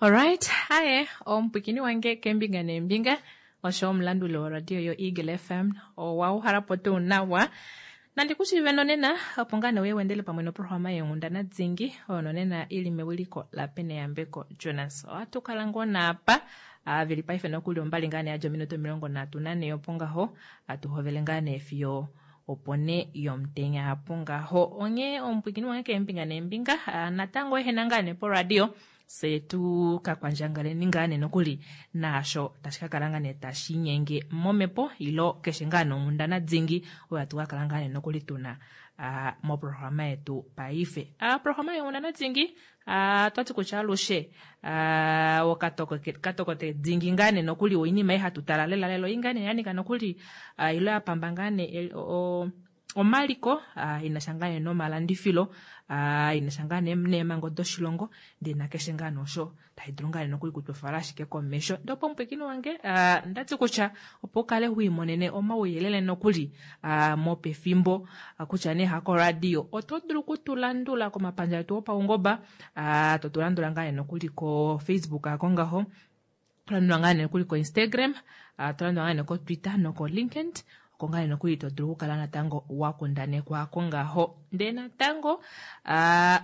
Alright, haye omupwikini wange keembinga neembinga osho omulanduli woradio yoEagle FM owa uhalapo tuu nawa. Nandi ku shiive nonena opo ngaa nee uye wendele pamwe noprograma yeenghundana dingi oyo nonena ili mewiliko laPeneyambeko Jonas. Ohatu kala ngoo naapa veli paife nokuli ombali ngaa nee yadja ominute 34 opo ngaho hatu hovele ngaa nee fiyo opo nee yomutenya apo ngaho. Onghee omupwikini wange keembinga neembinga natango ehena ngaa nee poradio Fye tu ka kwandjangaleni ngaa nee nokuli naasho tashi ka kala ngaa nee tashi inyenge momhepo ilo keshe ngaa nonghundana dingi oyo hatu ka kala ngaa nee nokuli tuna moprograma yetu paife. Oprograma yonghundana dingi otwati kutya alushe okatokote dingi ngaa nee nokuli oinima ei hatu tala lela lela oi ngaa nee ya nyika nokuli ilo ya pamba ngaa nee omaliko ina sha ngaa nee nomalandifilo ina sha ngaa nee neemhango doshilongo ndee nakeshe ngaa nosho tashi dulu ngaa nee nokuli kutwefala ashike komesho. Ndee opo omupwiikini wange ndati kutya opo ukale wiimonene omauyelele nokuli mopefimbo kutya nee hakoradio oto dulu okutulandula komapandja etu opaungoba to tu landula ngaa nee nokuli koFacebook ako ngaho To landula ngaa nee nokuli koInstagram, to landula ngaa nee koTwitter nokoLinkedIn, oko ngaa nee nokuli to dulu okukala natango wa kundanekwa ko ngaho. Ndee natango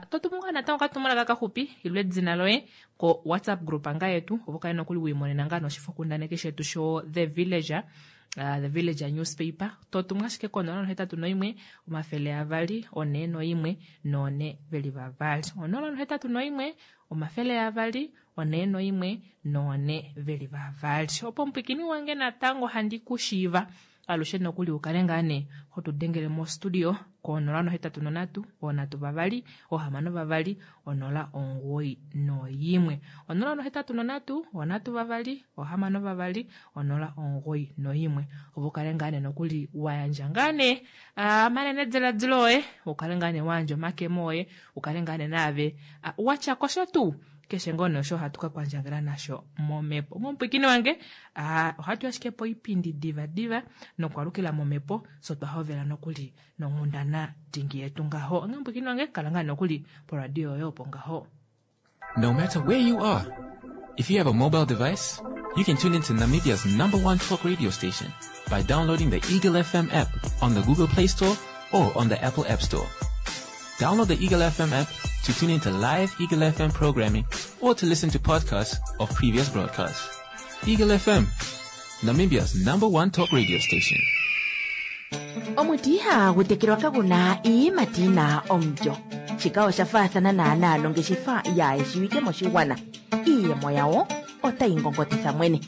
to tumu ngaa natango okatumwalaka kaxupi ilo edina loye ko WhatsApp group ngaa yetu opo kale nokuli wiimonena ngaa noshifokundaneki shetu sho The Villager. The Villager newspaper to tumu ashike ko 081 200 41 422 081 200 4 14 veli vavali. Opo omupwikini wange natango handi ku shiiva alushe nokuli ukale ngaa nee ho tu dengele mostudio ko 083 3 2 6 091. 083 3 2 6 091 opo ukale ngaa nee nokuli wa yandja ngaa nee omanenediladilo oye, ukale ngaa nee wa yandja omakemo oye, ukale ngaa nee naave watya kosha tuu keshe ngoo nee osho hatu ka kwandjangela nasho momhepo. Omupwikini wange ohatu ashike poipindi diva diva nokwalukila momhepo so twa hovela nokuli nonghundana dingi yetu ngaho. Onghee omupwikini wange kala ngaa nokuli poradio yoye opo ngaho. No matter where you are, if you have a mobile device, you can tune into Namibia's number one talk radio station by downloading the Eagle FM app on the Google Play Store or on the Apple App Store. Download the Eagle FM app to tune into live Eagle FM programming or to listen to podcasts of previous broadcasts. Eagle FM, Namibia's number one talk radio station. Omuti ihagu tekelwa kagu na iiyimati yi na omulyo. Shika osha faathana naanaa nongeshefa yaa shiwike moshigwana. Iiyemo yawo otayi ngongotitha mwene.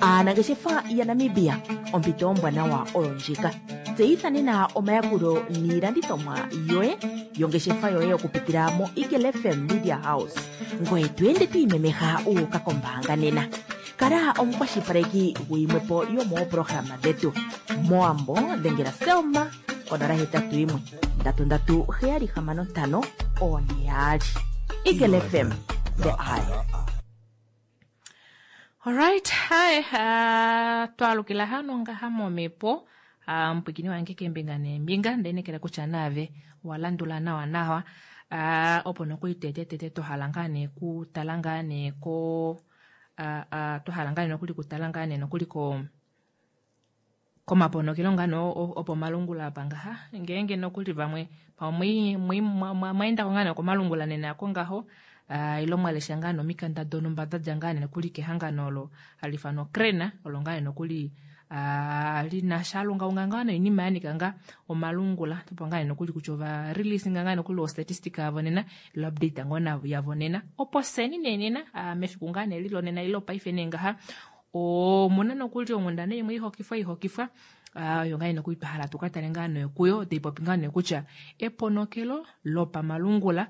Aanangeshefa yaNamibia, ompito ombwanawa oyo ndjika. Tseyitha nena omayakulo niilandithomwa yoye yongeshefa yoye okupitila moEagle FM Media House. Ngoye to ende to imemeha wu uka kombaanga nena. Kala omukwashilipaleki guyimwepo yomooprograma dhetu. Mowambo dhengela Selma konola 81 33 765 4 2. Eagle FM, the eye. Alright, hi, twalukila hano ngaha momhepo omupwikini wange keembinga neembinga ndeenekela kutya naave wa landula nawa nawa opo nokuli tete tete twahala ngaa nee kutala ngaa nee ko twahala ngaa nee nokuli kutala ngaa nee nokuli ko komaponokelo ngaa nee opomalungula apa ngaha ngeenge nokuli vamwe pamwe mwaendako ngaa nee komalungula nena ako ngaho ilo mwa lesha ngaa nee omikanda donhumba da dja ngaa nee nokuli kehangano olo hali ifanwa Crane olo ngaa nee nokuli lina sha lungaunga ngaa noinima ya nyika ngaa omalungula opo ngaa nee nokuli kutya ova release ngaa nokuli ostatistic yavo nena ilo update ngoo yavo nena opo seni nee nena mefiku ngaa nee lilonena ilo paife nee ngaha omuna nokuli onghundana imwe ihokifwa ihokifwa oyo ngaa nokuli twa hala tuka tale ngaa nee kuyo tai popi ngaa nee kutya eponokelo lopamalungula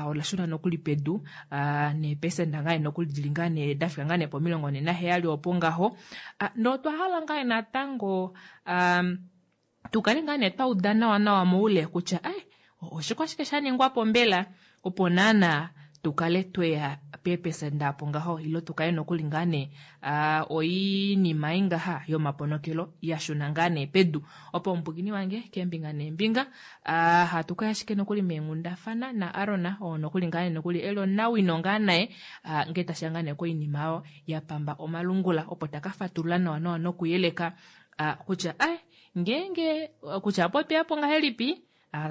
ola shuna nokuli pedu neepesenda ngaa nokuli dili ngaa nee dafika ngaa nee pomilongo nhee naheyali opo ngaho notwa hala ngaa natango tukale ngaa nee twa uda nawa nawa moule kutya ai oshikwashike sha ningwa po mbela opo naana tukale tweya Peepesenda apo ngaho ilo tukale nokuli ngaa nee oinima ei ngaha yomaponokelo ya shuna ngaa nee pedu. Opo omupwiikini wange keembinga neembinga hatu kaya ashike nokuli meenghundafana na Aron oo nokuli ngaa nee nokuli eli omunawino ngaa naye ngee tashiya ngaa nee koinima oyo ya pamba omalungula opo taka fatulula nawa nawa nokuyeleka kutya ai ngeenge kutya opo tweyapo ngahelipi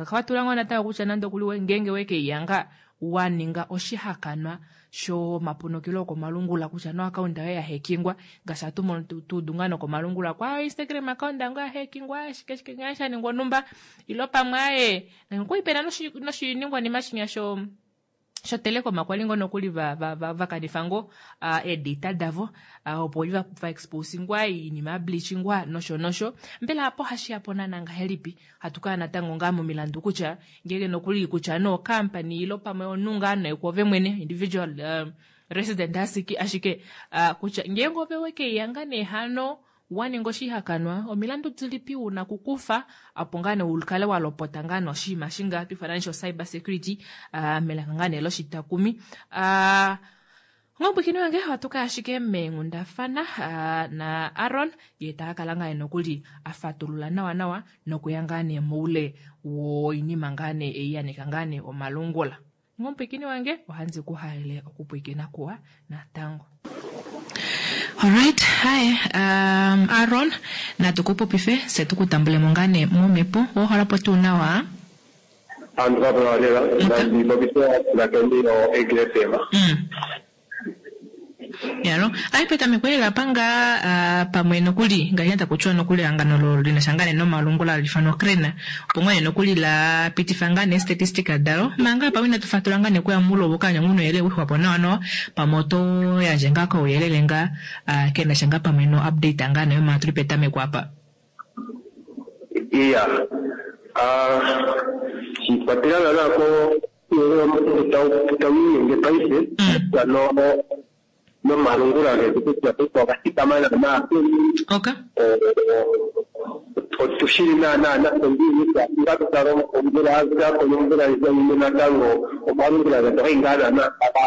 Fatula ngoo natango kutya nande okuli ngeenge wekeyanga wa ninga oshihakanwa shomaponokelo okomalungula kutya no account yoye ya hekingwa ngaashi hatu mono tuudu ngaa nokomalungula kwa Instagram account yange ya hekingwa shike shike ngaa sha ningwa onumba ilo pamwe aaye okwali pena noshiningwanima shinya sho shoTelecom kwali ngoo nokuli vakanifa ngoo eedata davo opo li va exposingwa iinima ya bleachingwa nosho nosho. Mbela apo ohashi yapo naana ngahelipi? Hatu kala natango ngaa momilandu kutya ngeenge nokuli kutya nee ocompany ilo pamwe omunhu ngaa nee kwoove mwene individual resident ashike kutya ngeenge ove wekeyanga nee hano wa ninga oshihakanwa, omilandu dilipi u na okukufa opo ngaa nee u kale wa lopota ngaa nee oshinima eshi ngaa hatu ifana sho cyber security melaka ngaa nee loshitakumi. Omupwiikini wange ohatu kaya ashike meenghundafana na Aron ye ta ka kala ngaa nee nokuli a fatulula nawa nawa nokuya ngaa nee moule woinima ngaa nee ei ya nika ngaa nee omalungula. Omupwiikini wange ohandi ku halele okupwiikina kuwa natango. Alright, hi, Aron, natu ku popife, fye tu ku tambulemo ngaa nee momhepo. Owa hala po tuu nawa? Aantu kapu na lela, nandi popithe aapulakeni yoEagle FM. Yalo, ayi petameko lela apa ngaa pamwe nokuli ngaashi taku tiwa nokuli ehangano lo li na sha ngaa nee nomalungula hali ifanwa Crane, opo ngaa nee nokuli la pitifa ngaa nee statistika dalo, manga pamwe inatu fatula ngaa nee okuya muule wokaanya nguu nouyelele wixwa po nawa nawa, pamwe oto yandje ngaa kouyelele ngaa ke na sha ngaa pamwe no update ngaa nee manga tuli petameko apa. Iya, shiikwatelela naana ko tau inyenge paife no nomalungula getu kutya paife oga thikama naanaa peni. Otushili naanaa nafye ngiini kutya inga tu tale omvula ya zako nomvula ndjika yimwe natango omalungula getu ogai ngaa naanaa taga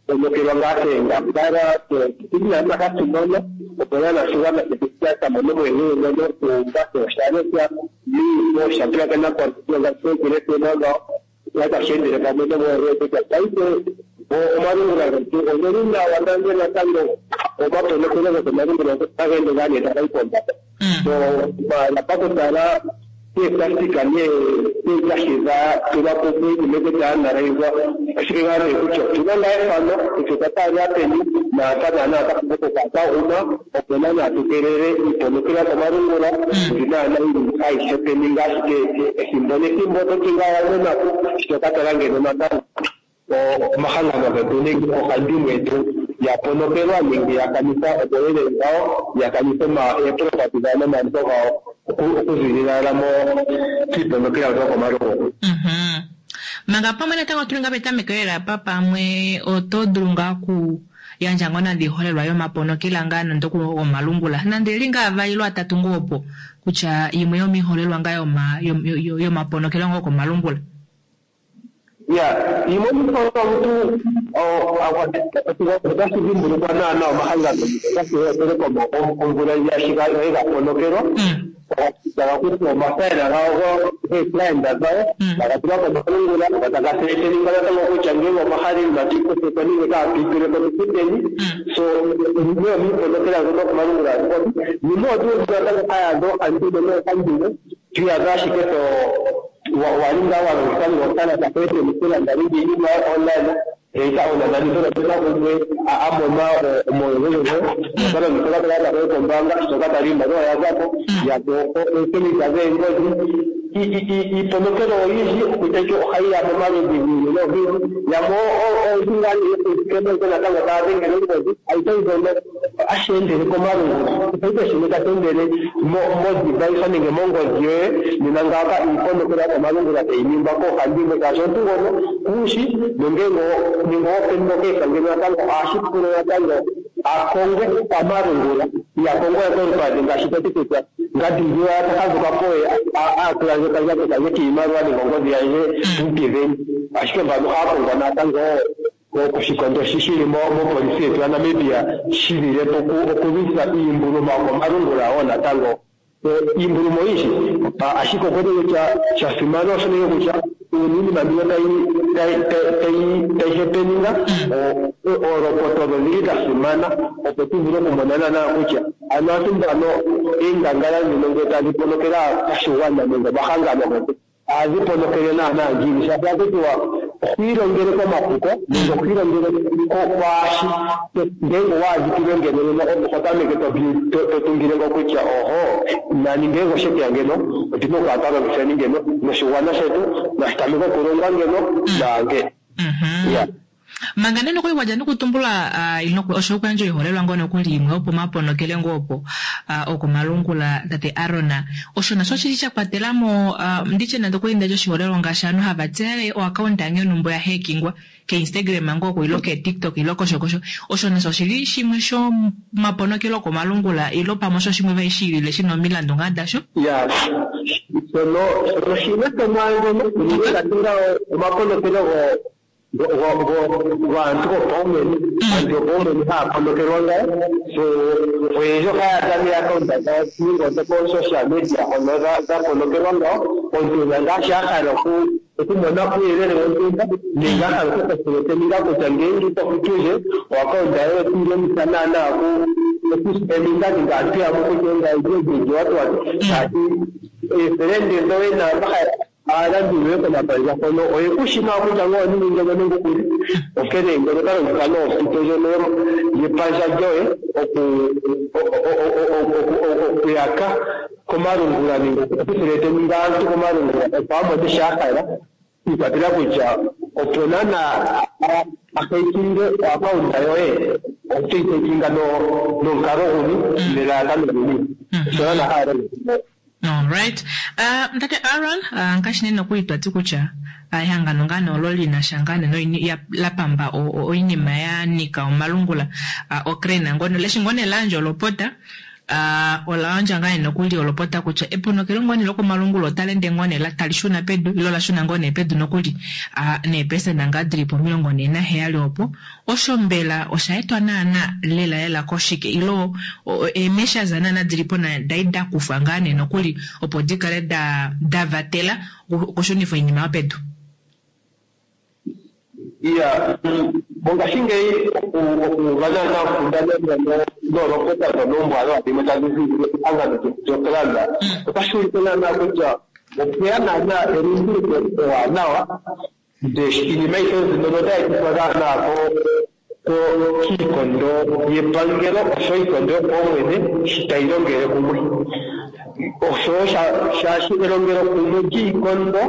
ponokelwa ngaa keengambala oshili naanaa hatu mono opo naanaa oshigwana shetu sha mone omuyelele ngono kuumba osha lesha miifo osha pulakena koradio ngaashi Eagle FM ngawo sha tashi endele pamwe nomuyelele kutya paife omalungula getu ogeli nawa nande natango omaponokelo gokomalungula otaga ende ngaa nee taga yi pombanda. So maala pakutala keeplastika neekashi dha tulwa kumwe nenge dha analaizwa ashike ngaa nee kutya otuna ngaa efano kutya otwa taalela peni naampa naanaa twa pumbwa okukala twa guma opo naanaa tu keelele iiponokela yokomalungula mbi naanaa yili ayihe peni ngaa ashike ethimbo nethimbo oto ti ngaa owa mona po shi to ka tala ngeno natango omahangano getu nenge oohandimwe yetu ya ponokelwa nenge ya kanitha omauyelele gawo, ya kanitha eepropati dhawo nomaliko gawo okuzilila kiiponokela mbyoka yokomalungula. Manga pamwe natango otuli ngaa petameko lela apa pamwe oto dulu ngaa oku yandja ngoo nande oiholelwa yomaponokela ngaa nande oku gomalungula nande eli ngaa avali ilo atatu ngoo opo kutya imwe yomiiholelwa ngaa yomaponokelo ngoo okomalungula. Ya, yimwe yomiiholelwa omuntu otashi dhimbulukwa naana omahangano ngaashi goTelecom omvula ndjiya shi ga li ga ponokelwa taga kuthwa omafaela gawo geeclient dhawo taga tulwa komalungula go taga threateninga natango kutya ngele omwa hala iinima tuyi kuthe ko nenge kaatu yi tule ko tu futeni. So yimwe yomiiponokela mbyoka yokomalungula yimwe otu wete natango haya adha oohandimwe noohandimwe to iyadha ashike to wa li ngaa wa longitha nenge okakalata koye keni okulanda nenge iinima yoye online, eta oonananitho ope na gumwe a mona omauyelele goye nota longitha okakalata koye kombaanga sho ka tala iimaliwa oya za ko, ya po oosemita dheengodhi. Iiponokelo oyindji okutya ike ohayi ya momaludhi gi ili nogi ili, yamwe ooludhi ngaa nee yokukeneke natango taya dhengele ongodhi, ayihe mbyono ohashi endele komalungula. Kehe shimwe tashi endele modevice nenge mongodhi yoye, nena ngaaka iiponokela yokomalungula tayi ningwa koohandimwe shaashi omuntu ngono kuushi nongele nenge open case ngeno natango ohashi pula natango a kongwe pamalungula, iha kongwa we kolupadhi ngaashi to ti kutya ngandi ngwiya ta fadhuka po oye a tula ndje okandjato kandje kiimaliwa nenge ongodhi yandje muupiveni, ashike mbano ohaya kongwa natango. koshikondo shi shili mopolisi yetu yaNamibia shi lile po okulwisa iimbuluma yokomalungula wo natango iimbuluma oyindji. Ashike okwe kutya sha simana osho nenge kutya uuna iinima mbino tayi hepeninga, oolopota odho dhili dha simana opo tu vule okumona naanaa kutya ano aantu mbano eengangala ndhino ngele tadhi ponokele aakwashigwana nenge omahangano getu ohadhi ponokele naanaa ngiini, shaashi ohaku tiwa okwiilongele komapuko nenge okwiilongele kwaashi ngeenge waadhikilwe ngeno nena oho tameke to tungile ngo kutya oho nani ngeenge oshekeya ngeno otuna okukala twa longitheni ngeno noshigwana shetu nashi tameke okulongwa ngeno naange. Ya. Manga nee nokuli wadja nokutumbula osho okuyandja oiholelwa ngoo nokuli imwe yopomaponokele ngoo opo okomalungula tate Aron, osho nasho oshili sha kwatela mo nditye nande okuli ndadja oshiholelwa ngaashi ovanhu hava tseya oakaunta yange yonhumba oya hekingwa keInstagram ngoo oko ilo keTikTok ilo kosho kosho, osho nasho oshili shimwe shomaponokelo okomalungula ilo pamwe osho shimwe vali shiilile shina omilandu ngaa dasho? Ya, shono shimwe shomwaandjono unene ngaashi ngawo omaponokelo gaantu gopaumwene, aantu yopaumwene haya ponokelwa ngawo. So oyendji ohaya adha nee-account dhawo nenge odhoko-social media hono dha ponokelwa ngawo. Omuntu ena ngaashi a hala okumona uuyelele wontumba nenge a hala okukosereteninga kutya ngeenge ito futu ndje oakaunta yoye otoyi longitha naanaa okuspeninga nenge aantu yamwe kutya engaye watu watu, shaashi eefelende dhoye naamba aalanduli yoye komapandja hono oye ku shi nawa kutya ngoo oningi ngeno nenge okuli, onkene ngono ota longitha nee ompito ndjono yepandja lyoye okuyaka komalungula nenge okuthreateninga aantu komalungula opo a mone sho a hala, shiikwatelela kutya opo naanaa a hekinge oakaunta yoye oteyi hekinga nomukalo guni nelalakano lini, osho naanaa haya longitha. Alright. Tate Aron, ngaashi nee nokuli twa ti kutya ehangano ngaa nee olo li na sha ngaa nee la pamba oinima ya nika omalungula, oCRAN ngono leshi ngoo nee la yandja olopota, ola yandja ngaa nee nokuli olopota kutya eponokelo ngoo nee lokomalungula otali ende ngoo nee tali shuna pedu ilo la shuna ngoo nee pedu nokuli neepesenda ngaa dili po 47 opo. Osho mbela osha etwa naana lela lela koshike ilo eemesha za naana dili po dai da kufwa ngaa nee nokuli opo di kale da vatela okushunifa oinima yopedu? Iya, mongashingeyi okuuva naana onkundana ndjono noolopota ndhono oombwanawa dhimwe tadhi ziilile kehangano lyoCRAN otashi ulike naana kutya opweya naana elunduluko ewanawa. Ndele iinima ayihe mbino otayi etithwa naanaa kiikondo yepangelo oshowo iikondo yopaumwene shi tayi longele kumwe, oshowo shaashi elongelo kumwe lyiikondo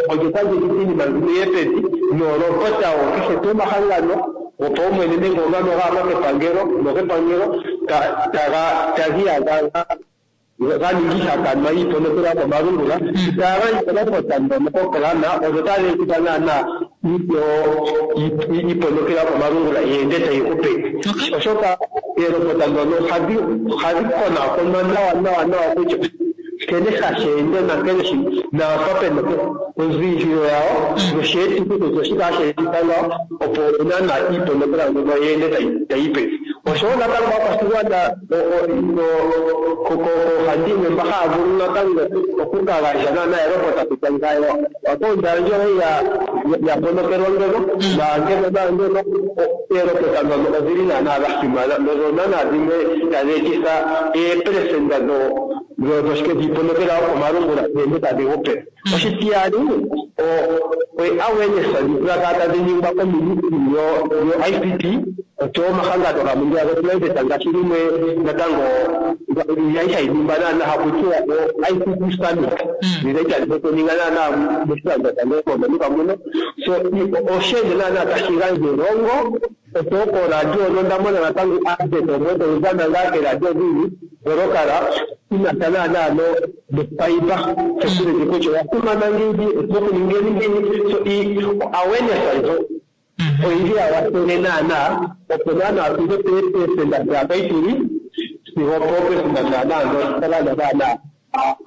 olyo tali etitha iinima mbino yiye pevi noolopota wo kehe tuu omahangano gopaumwene nenge gamwe gaama kepangelo nogepangelo taga iyadha ga ningi ihakanwa yiiponokela yokomalungula, itaya gandja olopota ndhono koCRAN, odho tadhi etitha naanaa iiponokela yokomalungula yi ende tayi gu pevi, oshoka eelopota ndhono ohadhi konakonwa nawa nawa nawa kutya nkene hashi ende nankene naampa pena onziililo yawo nosheetithi kutya oshike hashi etitha ngawo opo naanaa iiponokela mbyono yi ende tayi yi pevi. Oshowo natango aakwashigwana koohandimwe mba haya vulu natango okuka gandja naanaa elopota kutya ngayo oakaunta yandje oye ya ponokelwa ngeno naangeno naangeno, eelopota ndhono odhili naanaa dha simana nodho naanaa dhimwe tadhi etitha eepelesenda dhoshike dhiiponokela yokomalungula dhi ende tadhi gu pevi. Oshitiyali, awareness ndhoka kala tadhi ningwa koministry yo-ICT oshowo omahangano gamwe ngeya goprivate ngaashi limwe natango yali hayi ningwa naana haku tiwa o-ICT summit ndhi tadhi okuninga naana moshilando shange moVenduka muno. So osheende naana tashi gandja elongo oshowo kooradio nonda mona natango advert omwe tayi dhana ngaa keeradio dhili dholokala inasha naana nocyber security kutya oya simana ngiini, otuna okuningeni ngiini. So awareness ndjo oyili ya wathele naana opo naana tuze peepesenda dhaapa tuli sigo poopesenda naana ndhoka naana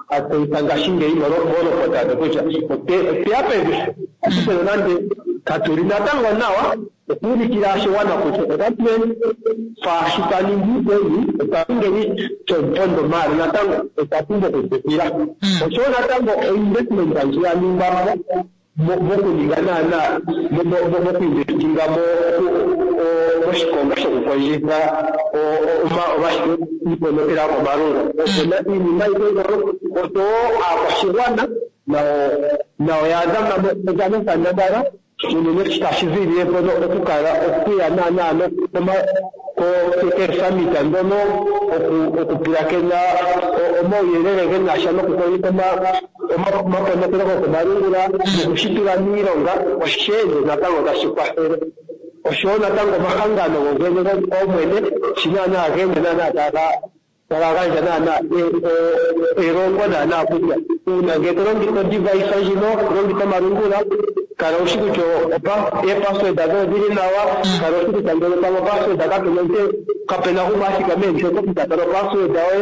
atseyitha ngashingeyi moolopota dho kutya otweya pevi, ashike nonande katuli natango nawa. Okuulikila oshigwana kutya otatu faashi twa ningi peni, otwa ningeni shomupondo, maala natango otwa pumbwa okutsikila. Oshowo natango oinvestment ndji ya ningwa mo mokuninga naana mokuinvestinga moshikonga shokukondjitha iiponokela yokomalungula. Opuna iinima ayihe mbyono, oshowo aakwashigwana nayo ya dhana onkandangala unene tashi ziilile mpono okukala okuya naana keesummit ndhono, okupulakena omauyelele ge na sha nokukondjitha omaponokelo gokomalungula nokushi tula miilonga, osheende natango tashi kwathele. Oshowo natango omahangano gogene gopaumwene shi naana geende naana taga gandja naana elongo naana kutya uuna ngele to longitha odevice ndjino, to longitha omalungula, kala wushi kutya eepassword dhoye odhili nawa, kala wushi kutya ngele pamwe opassword kapena kapena gumwe a thikama eli kutya tala opassword yoye,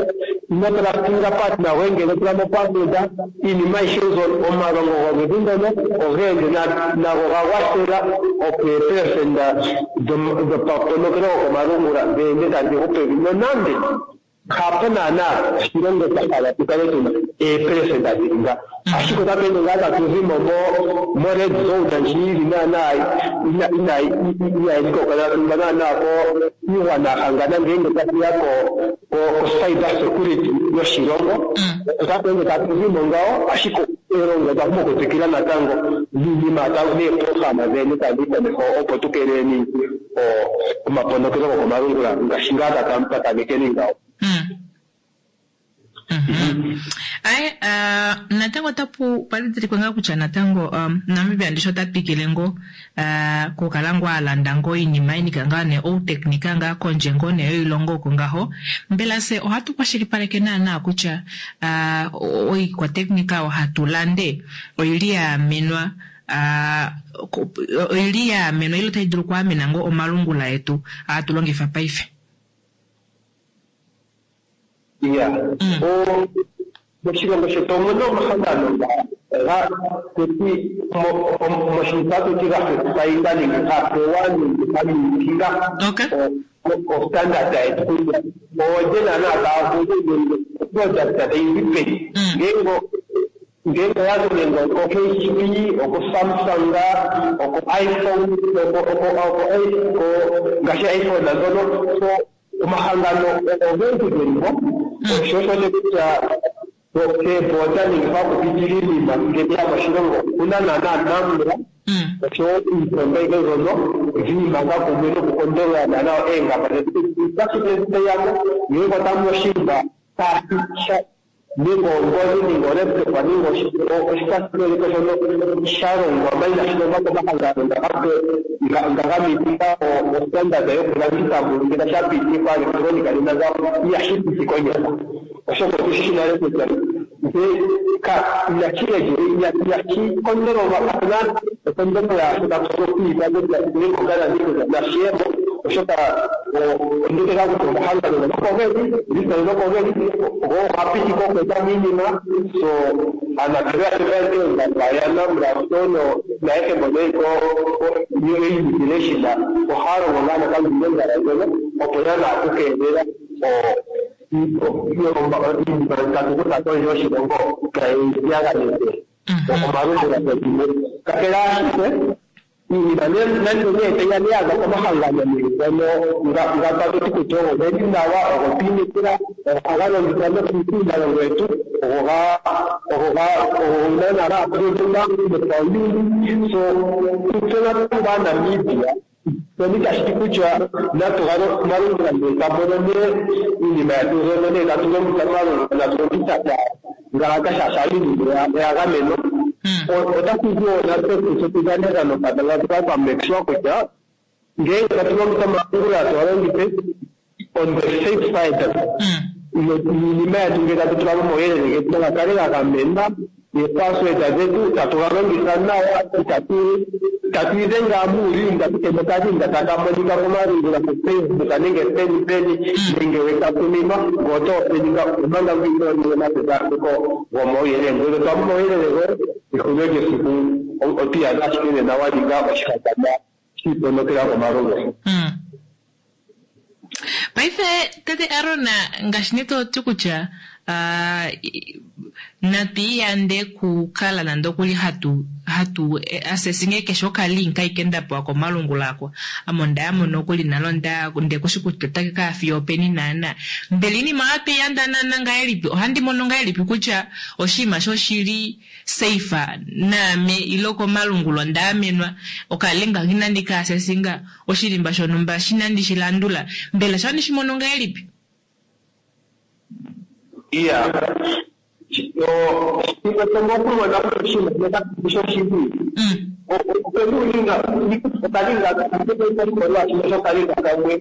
ino trustinga partner goye ngele tula mo password. Iinima ayihe mbyono, omalongo goludhi ndono ogeende nago ga kwathela opo eepelesenda dhomaponokelo gokomalungula dheende tadhi gu pevi, nonande hapo naana oshilongo twa hala tu kale tuna eepelesenda dhili nga, ashike otatu ende ngaa tatu zimo mo red zone ndji yili naana inayi ikokolelwa naana ko iigwana ya hangana ngeenge tashiya ko cyber security yoshilongo. Otatu ende tatu zimo ngawo, ashike elongo otwa pumbwa okutsikila natango niinima neeprograma dheende tadhi yi komeho opo tu keeleleni omaponokelo gokomalungula ngaashi ngaa twa tamekeni ngawo. Aye, natango otapu padhidhilikwe ngaa kutya natango Namibia ndishi ota twikile ngo kukala ngoo alanda ngoo iinima inika ngaa nee outeknika ngaa kondje ngoo nee yoilongo oko ngaho. Mbela se ohatu kwashilipaleke naana kutya oikwateknika oyo hatu lande oili yaamenwa oili yaamenwa ile otai dulu okwaamena ngoo omalungula etu hatu longifa paife? Iya, moshilongo shetu omuna omahangano nga tuti moshintu ga certifyinga nenge ga pewa nenge ga mitinga ostandard yetu kutya oolye naana taya vulu nenge oproduct tayi zi peni. Ngeenge oya zi nenge oko HP, oko Samsung, oko iPhone, oko ngaashi iPhone ndhono. So omahangano ogendji geli mo, osho osho kutya keeboda nenge pakupitila iinima ngele ya moshilongo okuna naana NamRA oshowo iiponda ayihe mbyono dhiimanga kumwe nokukondolola naana oongamba dhetu otashi teyamo ngele otamu oshinima tashi nenge ongodhi nenge olaptop nenge oshikwasiloleko shono sha longwa ma inashi longwa komahangano nga ga mitika ostandard yokulanditha ngele sha pitikwa electronic nena ihashi piti konyala, oshoka otushi shi nale kutya inashi inashi kondololwa, kapena okondolola yaasho tatu vulu okwiipa kutya nenge ogalandi kutya nashiyemo, oshoka ondeteka kutya omahangano ngono oko geli lisitali oko geli go oga pitika okweeta mo iinima. So aanambelewa yaNamRA oshowo naayehe mbono yeli ko immigration ohaya longo ngaa natango iilonga mbyono opo naana okukeelela iinima tatu kutha kondje yoshilongo kayi piyaganeke omalungula getu. Kakele ashike iinima nande nee tayi ya yaza komahangano ngono nga tatu ti kutya ogo geli nawa, ogo twiinekela, ohaga longithwa nokiilongo yetu, ogo naana ga approvinga nopauyuni. So kutse natango aaNamibia shono itashi ti kutya natu omalungula ngele twa mono nee iinima yetu mbyono nee tatu longitha omalungula natu longitha ngaaka shaashi iinima oya gamenwa. Otaku zi wo natse kutse tu dhane onkandangala tukale twa make sure kutya ngeenge tatu longitha omalungula tuga longithe on the safe side, niinima yetu ngele tatu tula mo omauyelele getu naga kale ga gamenwa, neepassword dhetu tatu ga longitha nawa, itatu tatu idhenga muulinga kehe okalinga taka monika komalungula koFacebook nenge peni peni nenge wekatuminwa ngo oto openinga omanga inoo ninga omapekapeko gomauyelele. Ngele twa mo omauyelele goye ehulilo lyesiku otwiiyadha ashike nena wa ninga oshihakanwa. shiiponokela komalungula. Paife tate Aron, ngaashi nee to ti kutya natu iyande kukala nande okuli hatu hatu assessing keshe okalink aike nda pewa komalungula ako. Ame onda ya mo nokuli nalo nda nde kushi kutya otake ka fiyo openi naana. Mbela iinima oyo twiyanda naana ngahelipi? Ohandi mono ngahelipi kutya oshinima shoshili safe naame ile komalungula onda amenwa, okalink inandi ka assessinga, oshilimba shonhumba shinandi shi landula. Mbela sho ohandi shi mono ngahelipi? Iya. Okumona oshinima shoshili. Opena okalinga oshimaliwa kamwe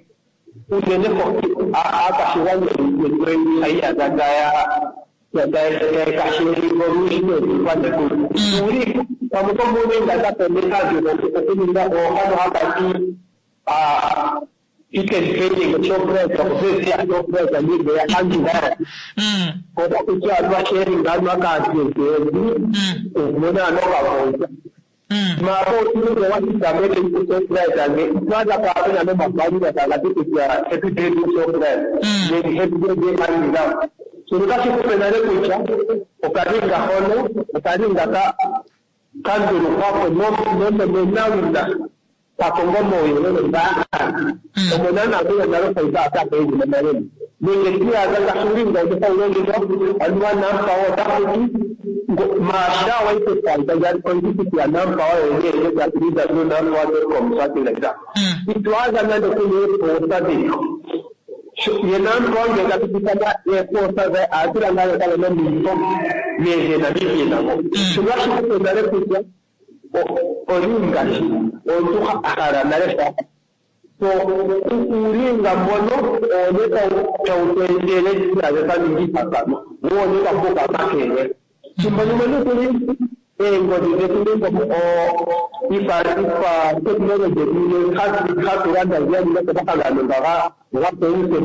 unene aakwashigwana yetu hayi iyadha taya kasheli olundji nekulu. Pamwe komuulinga kape okuninga oohano haka ti you can trading Shoprite okupesi Shoprite nige anjira kutya anwa sharing anwa kaantu okumona ano kakonza mapo otinge wasigamele Shoprite nge twaza paapena nomabhalula takati kutya happy day to Shoprite nenge happy day anjira shono tashi kupe nale kutya okalinga hono okalinga ka kandulukwapo nomenawina kakongo mauyelele ngaa omona nakuya nalo faiba atakeili nenge tiyaza ngasulinga otofaulongithwa anuwa NamPower otafuti maasha waitefaita oitikutia NamPower www.nampower.com, something like that. Itwaza nande kune eposa dhiko ye NamPower nge kapitikana eposa dhe atula ngale kale nomifo mehe Namibia nako shono ashikupe nale kutya olinga omuntu a hala nale sha so uulinga mbono oone tawu tu etele naze twa ningi ihakanwa woone twa puka makele thimbo limwe nokuli eengodhi dhetu nenge ifa technology yetu hatu landa ziya komahangano nga gapeuse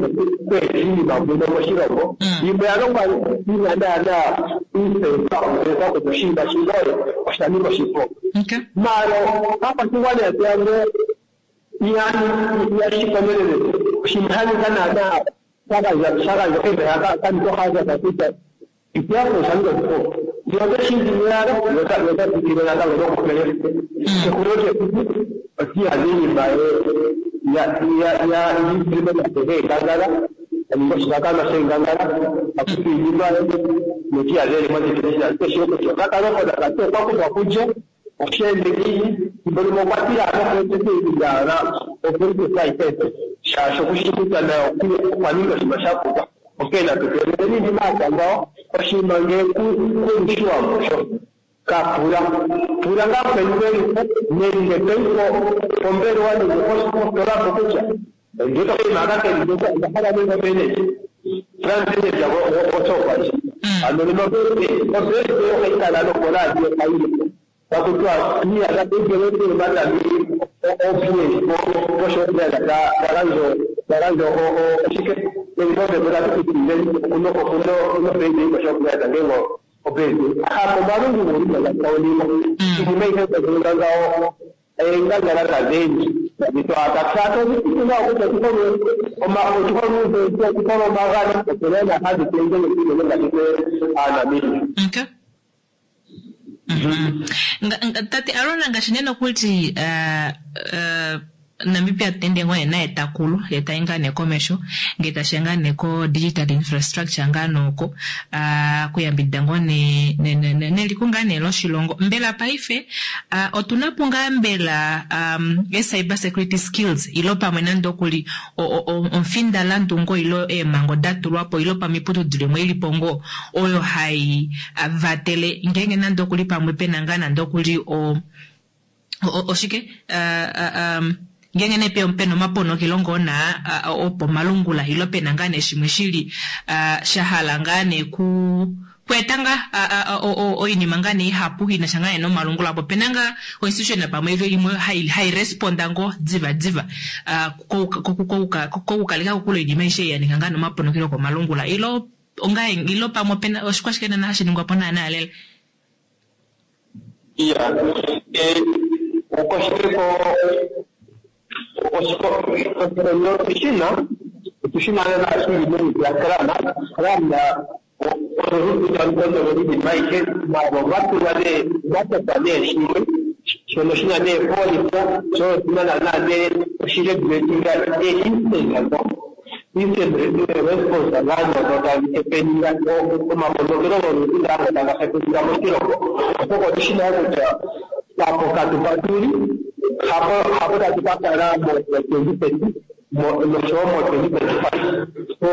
kweeta iinima muno moshilongo yimwe ya longwa yina naana iisensa okusensa kutya oshinima shino osha ninga oshipo. Maalo aakwashigwana yetu yamwe yashikomelele oshinima sha ninga naana shagandja kemeha kanitohaza kutya itiyapo osha ninga oshipo yote shindimiyalo yotatikile natango nokupele ekulo lyekuku otiyaza iinima ya aninga oshihakanwa shengangala akupa iinima notiyaza elimo kutya okakalopota kati okwa kuthwa kulye osheende ngiini thimbo limwe okwa tila nokueteteilingala opolisi shaashi okushi kutya nayo okwa ninga oshinima sha puka. Onkene natu keeleleni iinima yatya ngawo oshinima ngele kulishiwambo sho kapula pula ngaa mukweni weliko nenge toyi pombelewa nenge positola po kutya ndito oshinima aka keli ndika onda hala ninga omeneja plant manager goShoprite ano nena obese ohayi kala nokoradio kayile takutiwa iyadha igelete matami ofie poShoprite tagandja oshike nenge ombepo tatupitilile okuno koShoprite ngenge obese hapo malungu guli iinima ihe tazininga ngawo eengangala tadhendji tadhitwathatha kutya tukhole omagano opena hadhi tendele ngatike Aanamibia. Okay. Tate Aron, ngaashi nee nokuli Namibia tende ngoo naye takulu ye tayi ngaa nee komesho ngee tashiya ngaa nee ko digital infrastructure ngaa nooko kuyambidida ngoo neliko ngaa nee loshilongo. Mbela paife otuna po ngaa mbela e-cyber security skills ilo pamwe nande okuli omufindalandu ngoo ilo eemhango da tulwa po ilo pamwe iiputudilo imwe ilipo ngoo oyo hai vatele ngeenge nande okuli pamwe pena ngaa nande okuli oshike ngeenge nee pena omaponokelo ngoo na opomalungula ilo pena ngaa nee shimwe shili sha hala ngaa nee kweeta ngaa oinima ngaa nee ihapu inasha ngaa nee nomalungula apo pena ngaa oinstitution pamwe imwe hai responda ngoo diva diva kokukaleka kokule oinima aishe ya ninga ngaa nomaponokelo komalungula ilo onga ilo pamwe opena oshikwashike nana hashi ningwa po naana lela. Iya, ukoshiteko Oshikondo otushina otushina lela shili meni lyakrana krana ololutu talu kondolo iinima ayihe maalo gatulwa nee gatotwa nee shimwe shono shina nee polipo sho oshina naana nee oshiregulatinga einstant instant response gaandono tadhi hepeninga omaponokelo goludhi ngaango taga hepeninga moshilongo oshoka otushina kutya papokatu patuli hapo hapo tatu ka kala mo 2030 noshowo mo 2035. So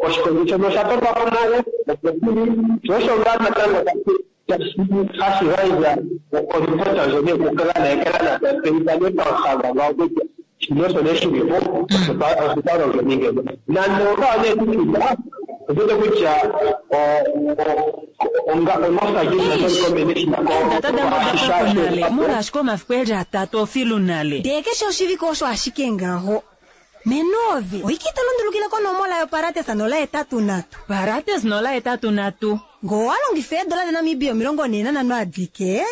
oshikondo shono osha totwa po nale opo shili sho osho ngaa natango hashi gandja oripota ndjono yokukalana ekalana tatseyitha nee pamuhanga gwawo kutya shino osho nee shili po osho twa longeni ngeno nande ongawo nee kutya otuwete kutya Eedata dange oda pwa ko nale molwaashi omafiku eli atatu ofilu nale. Ndee keshe oshivike osho ashike ngaho. Menoove, oike ito lundulukile konomola yoparates 083. Parates 083. Ngee owa longifa eedola daNamibia 45 adike,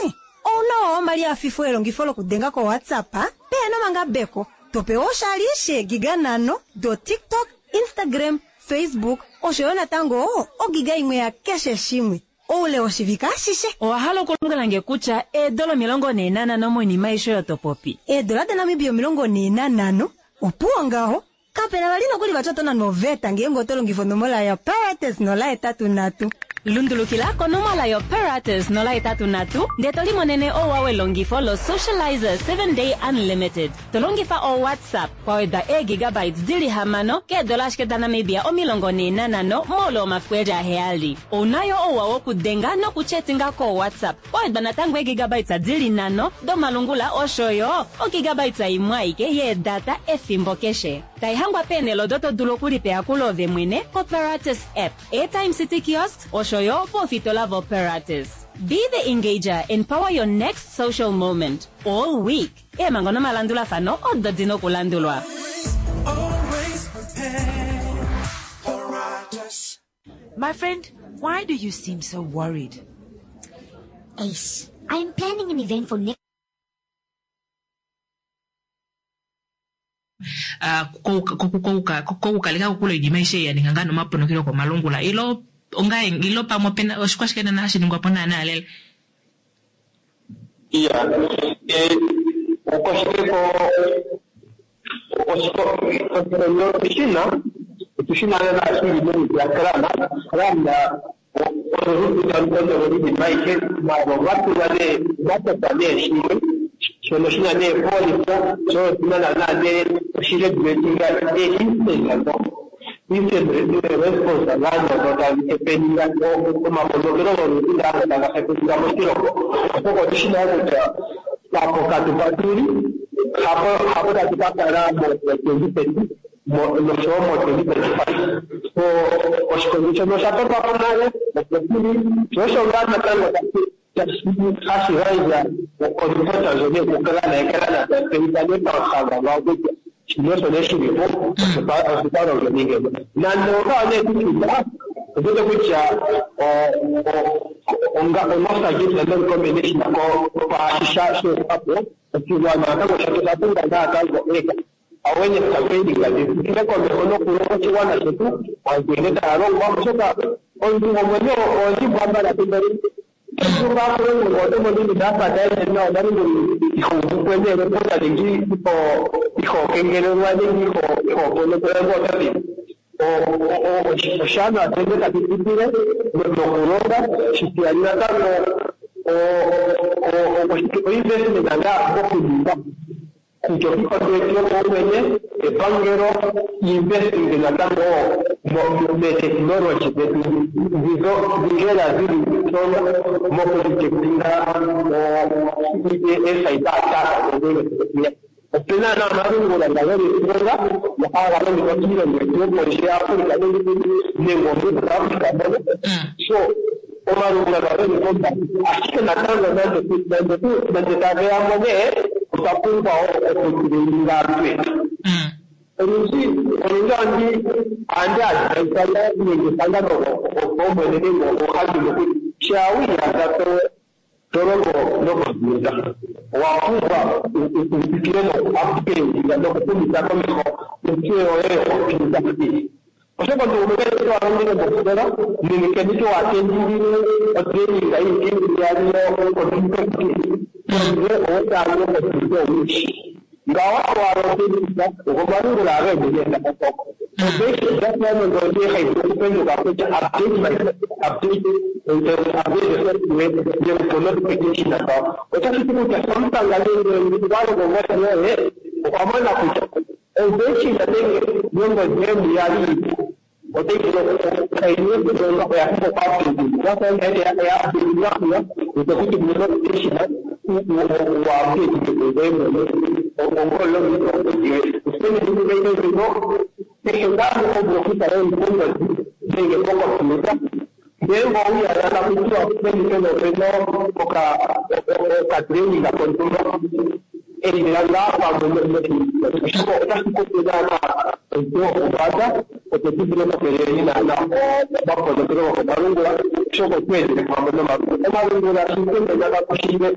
ouna owa omali afifo elongifo lokudenga koWhatsApp pehena omangabeko, to pewa oshali sheegiga 5 doTikTok, Instagram, Facebook osho yo natango ogiga imwe yakeshe shimwe oule woshivike ashishe. Owa hala okulombwela nge kutya eedola 45 moinima aishe oyo to popi? Eedola daNamibia 45, opuwo ngaho. Kapena vali nokuli vati oto nanwa oveta ngeenge oto longifa onomola yoParates 083. Lundulukila konomola yoParates 083 ndee to limonene ouwa welongifo loSocializer 7 Day Unlimited to longifa oWhatsApp kwa wedwa eegigabytes di li 6 keedola ashike daNamibia 45 moule womafiku eli aheyali. Ouna yo ouwa wokudenga nokuchetinga koWhatsApp kwa wedwa natango eegigabytes di li 5 domalungula osho yo ogigabytes imwe aike yeedata efimbo keshe. Taihangwa peenhele odo to dulu okulipa eyakulo ove mwene koParates app, Airtime City Kiosks osho yo poofitola voParates. Be the engager and power your next social moment all week. Eemhango nomalandulafano odo di na okulandulwa. My friend, why do you seem so worried? Ace, I am planning an event for next Kokukaleka kokule oinima aishe ei ya ninga ngaa nomaponokelo okomalungula ilo onga ilo pamwe opena oshikwashike naana hashi ningwa po naana lela? Iya, okwashike ko oshikondo otushina otushina lela shili meni lyakrana krana ololutu talu kondolo iinima ayihe maalo gatulwa nee gatotwa nee shimwe shono shina nee polipo sho oshina naana nee oshiregulatinga einstant instant response gaandono tadhi hepeninga omaponokelo goludhi ngaango taga hepeninga moshilongo oshoka otushina kutya papokatu patuli hapo hapo tatu ka kala mo 2030 noshowo mo 2035. So oshikondo shono osha totwa po nale opo shili sho osho ngaa natango hashi gandja oripota ndjono yokukalana ekalana tatseyitha nee pamuhanga gwawo kutya shino osho nee shili po osho twa longeni ngeno. Nande ongawo nee kutya otuwete kutya onosagitta norecommendation kwaashi sha sheetwa po oshigwana natango shetu osha pumbwa natango awareness campaigning dhi tsikile komeho nokulonga oshigwana shetu aantu nkene taya longwa oshoka omuntu gomwenyo oondjimbo ambala thimbo limwe oto vulu ngaa okulonga oto mono iinima ya fa tayi ende nawa omalungula iho uvu po neelopota nenge iho kengelelwa nenge iho ponokelwa ngoye oto dhini oshaanawa tu ende tatu tsikile nokulonga shitiyali natango oinvestment ngaa mokuninga kutya okiikondo yetu yopaumwene, epangelo, investing natango meetechnology dhetu ndhi dhi lela dhili strong mokudetectinga ee-cyber attack dhono. Opena na omalungula nga geli strong nga haga longithwa kiilongo yetu yopondje yaAfrica nenge omuSouth Africa mono. So omalungula nga geli pombanda ashike natango nande nande tage ya mo nee otwa pumbwa wo okutraininga aantu yetu. Olundji olundji ohandi ohandi advisa nenge ehangano gopaumwene nenge oohandimwe kutya shaa wi iyadha to to longo nokompiuta. Owa pumbwa u tsikile nokuupgrade nokuhumitha komeho ontseyo yoye yokompiuta. Oshoka omuntu gumwe kali wa longele mosikola nenge nkene ike wa attendile otraining yiike iyali yo-computer skills, pondje owo taa longo kompiuta owundji. Ngawo owala okulongitha gomalungula ageende taga koko. Odeshi hayi vulu okupenduka kutya update my update update the software yekupa notification ngawo. Otashi ti kutya Samsung nenge wa longo ngodhi yoye okwa mona kutya oversion nenge yongodhi yoye yali otayi vulu okulonga oya pumbwa okuupdate. Ya update utakuti notification wa update ngoye mwene ongolongitha ongodhi yoye. Kehe ngaa ngoka vulu okukala wuli pongodhi nenge pokompiuta, ngele owiiyadha taku tiwa peni pena opena okatraining kontumba, endela ngaa pamwe oshoka otashi kupe naanaa ontseyo yopombanda opo tu vule okukeeleleni naanaa omaponokelo gokomalungula, oshoka otu endele pamwe nomalungula. Omalungula shikenena kakushile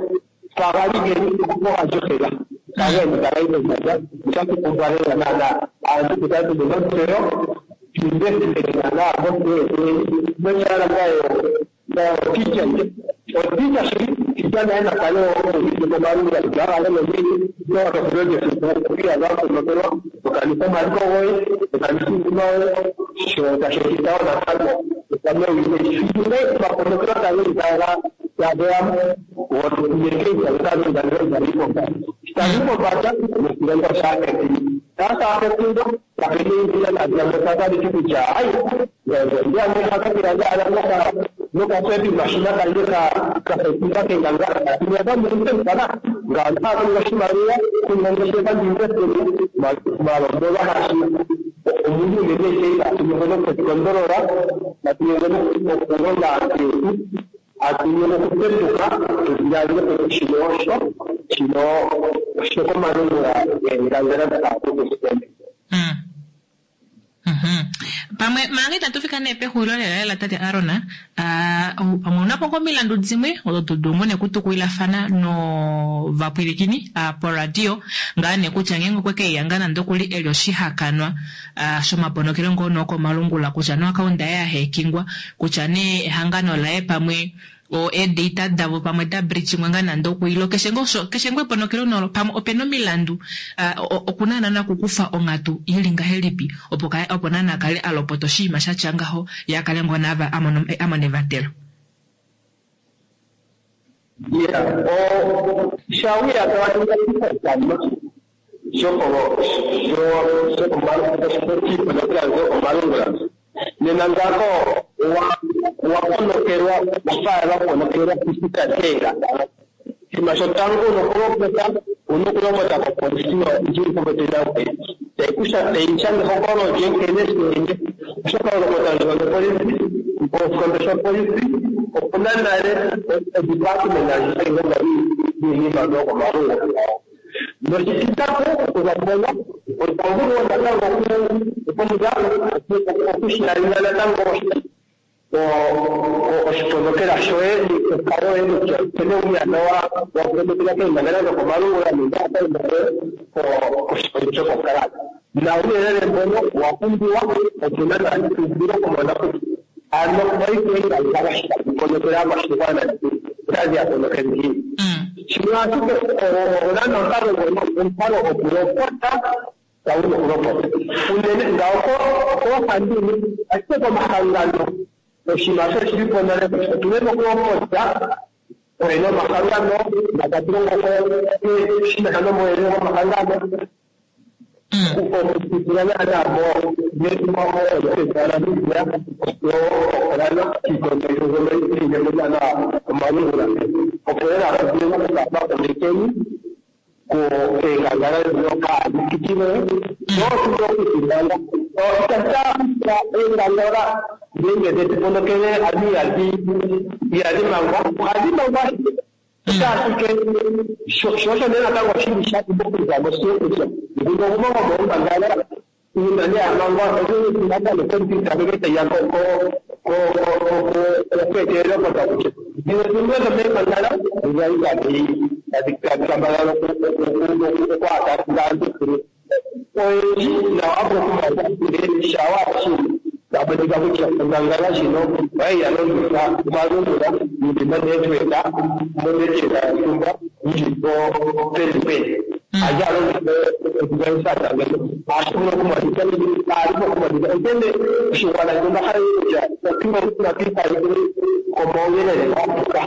pagali geli ogajohela taga ende taga yi pombanda. Otashi pumbwa lela naanaa aantu tukale tuna ontseyo, tu investite naanaa montseyo yetu nonyala ngayo oticha oticha shili ticha naye nakale uvite komalungula kutya aga nini nowakafilo lyesiku okwiiyadha waponokelwa, tokanitha omaliko goye, tokanitha iinima yoye, sho tashi etitha wo natango okame owinayi. Omaponokelo taga ende taga tageya tagi pombanda noshilongo shaafekingwa kapena kutya ai nokasepi mashina kandje kafekinga kenganga inyazamuntempana ngaanaakunga oshimaliwa kunongeshefa ndiinvestele malombolwa hashi omuntu unene atunyenge nokukondolola, atunyenge nokulonga aantu yetu, atunyenge okupenduka tudhiladhile kutya shino osho shino oshokomalungula eengangela dhaakukusitende. Pamwe manga itatu fika nee pexulilo lela lela tate Aron, pamwe unapo ngoo omilandu dimwe odo to dulu ngoo nee okutukulilafana novapwilikini poradio ngaa nee kutya ngeenge okwe keiyanga nande okuli eli oshihakanwa shomaponokelo ngoo nookomalungula, kutya nee oakaunda yaye yaheekingwa, kutya nee ehangano laye pamwe eedata davo pamwe da breachingwa ngaa nande okuilo keshe ngoo eponokelo nolo pamwe opena omilandu okuna naana okukufa onghatu ili ngahelipi opo naana akale alopota oshinima shatya ngaho ye akale ngoo naava amone evatelo. Yeah, shawiya tawaninga shokomalungula nena ngako waponokelwa wafaala waponokelwa kusikatenga shima shotango unokulopota unokulopota kopolisi ndjili popepi nangoye taikusha taishanga ehokololo lye nkene sheende oshoka olopota ndjono polisi oshikondo shopolisi opuna nale odepartment ndji hayi longo niinima yokomalungula noshititatu okuza mpono otwa vulu wo natango okusharinga natango oshiponokela shoye onkalo yoye kutya nkene wiiyadha waponokela keengangela dhokomalungula nenge akaunda yoye koshikondo shokokalata na uuyelele mbono owa pumbiwa opo naanaa tu vule okumona kutya ano paife eengangala tadhi ponokele aakwashigwana otadhi ya ponokele ngiini. Shimwe ashike onana omukalo ngono omukalo gokulopota tawuna okulopota unene ngawo koohandimwe ashike komahangano oshinima sho oshili po nale kutya otuna okulopota oyena omahangano natatu longo shinasha nomwene gomahangano okupitila naanaa moNamibia oshowo kiikondo mbyono yili naanaa omalungula opo lela tuvule okukapa komekeni eengangala ndhoka adhi pitikile nootuvule okutimanga itata eengangala ngenge dhetu ponokele adhi ihadhi mangwa ohadhi mangwa ashike sho osho nee natango shili sha pumbwa okuza mo sigo kutya nguno gumwe gomoombangala uuna nee amangwa onatango kompiuta tayiya okweetelela opota kutya dhimwe dhimwe dhomeembangala odhali tadhi tadhi kambadhala okwaatanga aantu oyendji nawa okumaa shawa tamonika kutya ongangala ndjino oyayi ya longitha omalungula yili monetwork monetwork yontumba yili po peni peni aja alongitha odevice ashivula okumonika alipo okumonika onkene oshigwana shino hayi kutya otuna komauyelele gapuka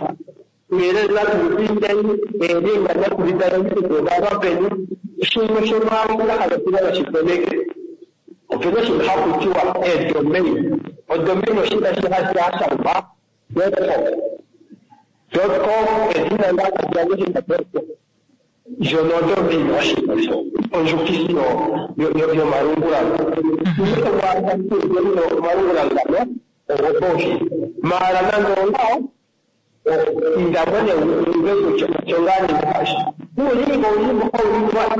uuyelele natulupindeni eelinga natulitaleni kutya peni shimwe shomwaanga haga oshigwana shikoneke opena oshinima haku tiwa edomain. Odomain oshinima shi hashi hashangwa dot com dot com edhina ndakatulangoshinima dot com ndjono odomain oshinima sho ondjukithi yomalungula omalungula ngano ogoposhi maala nando ongawo indamo ne uve kutya osho ngaa ningashi uulingo ulingo umoja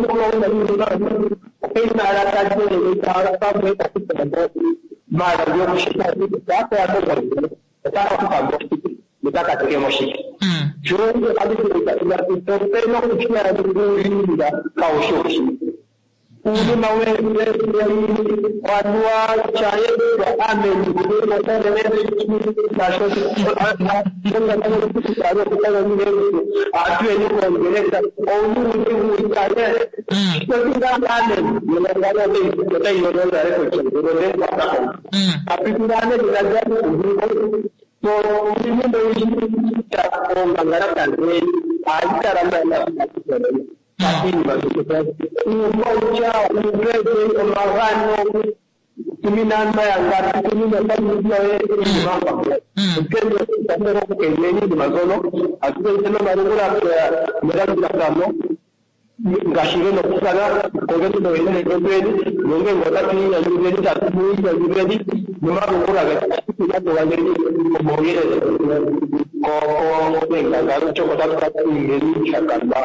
umbebe omagano tuminana yangapi tuminaaoimamba onkene okukeneni mazono atukeiteno malungula melandulathano ngaashi gena okukala kongeni noyelele getweni nongenge otatu inyanyudheni tatu mu inyanyudheni nomalungula getuageni omauyelele koengangalo choko tatu katuingeni shakamba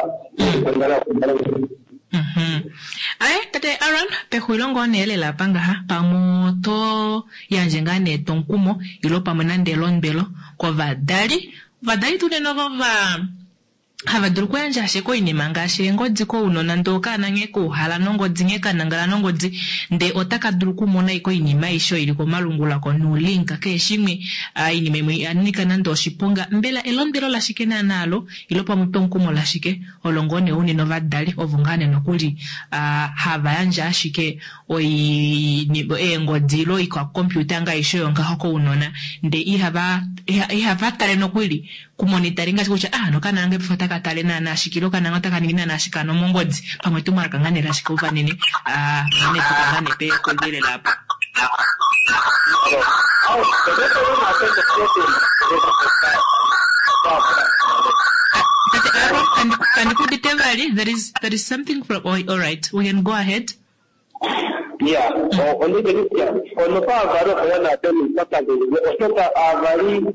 Aye, tate Aaron, pexulilo ngoo nee lela apa ngaha pamwe oto yandje ngaa nee etwomukumo ilo pamwe nande elondwelo kovadali. Ovadali tuu unene ovo va hava dulu okuyandja ashike oinima ngaashi eengodi kounona ndee okaana nghee kauhala nongodi nghee kanangala nongodi ndee otaka dulu okumona ashike oinima aishe oyo ili komalungula ko nuulink keshe shimwe oinima imwe ya nyika nande oshiponga. Mbela elondwelo lashike naana alo ilo pamwe etwomukumo lashike olo ngoo nee unene ovadali ovo ngaa nee nokuli hava yandje ashike eengodi ilo oikwacomputer ngaa aishe oyo ngaho kounona ndee ihava ihava tale nokuli kumonitari ngaashi kutya ah nokanona kange paife otaka tale naana shike ilo okanona otaka ningi naana shike ano mongodi pamwe etumwalaka ngaa nee lashike uvanene ah nee tuka ngaa nee pexulilo apa. Tate Aaron, kandi ku udite vali? There is something from, oh, all right, we can go ahead. Yeah, ondike kutya ono aavali opo ya nape nuupyakadhi oshoka aavali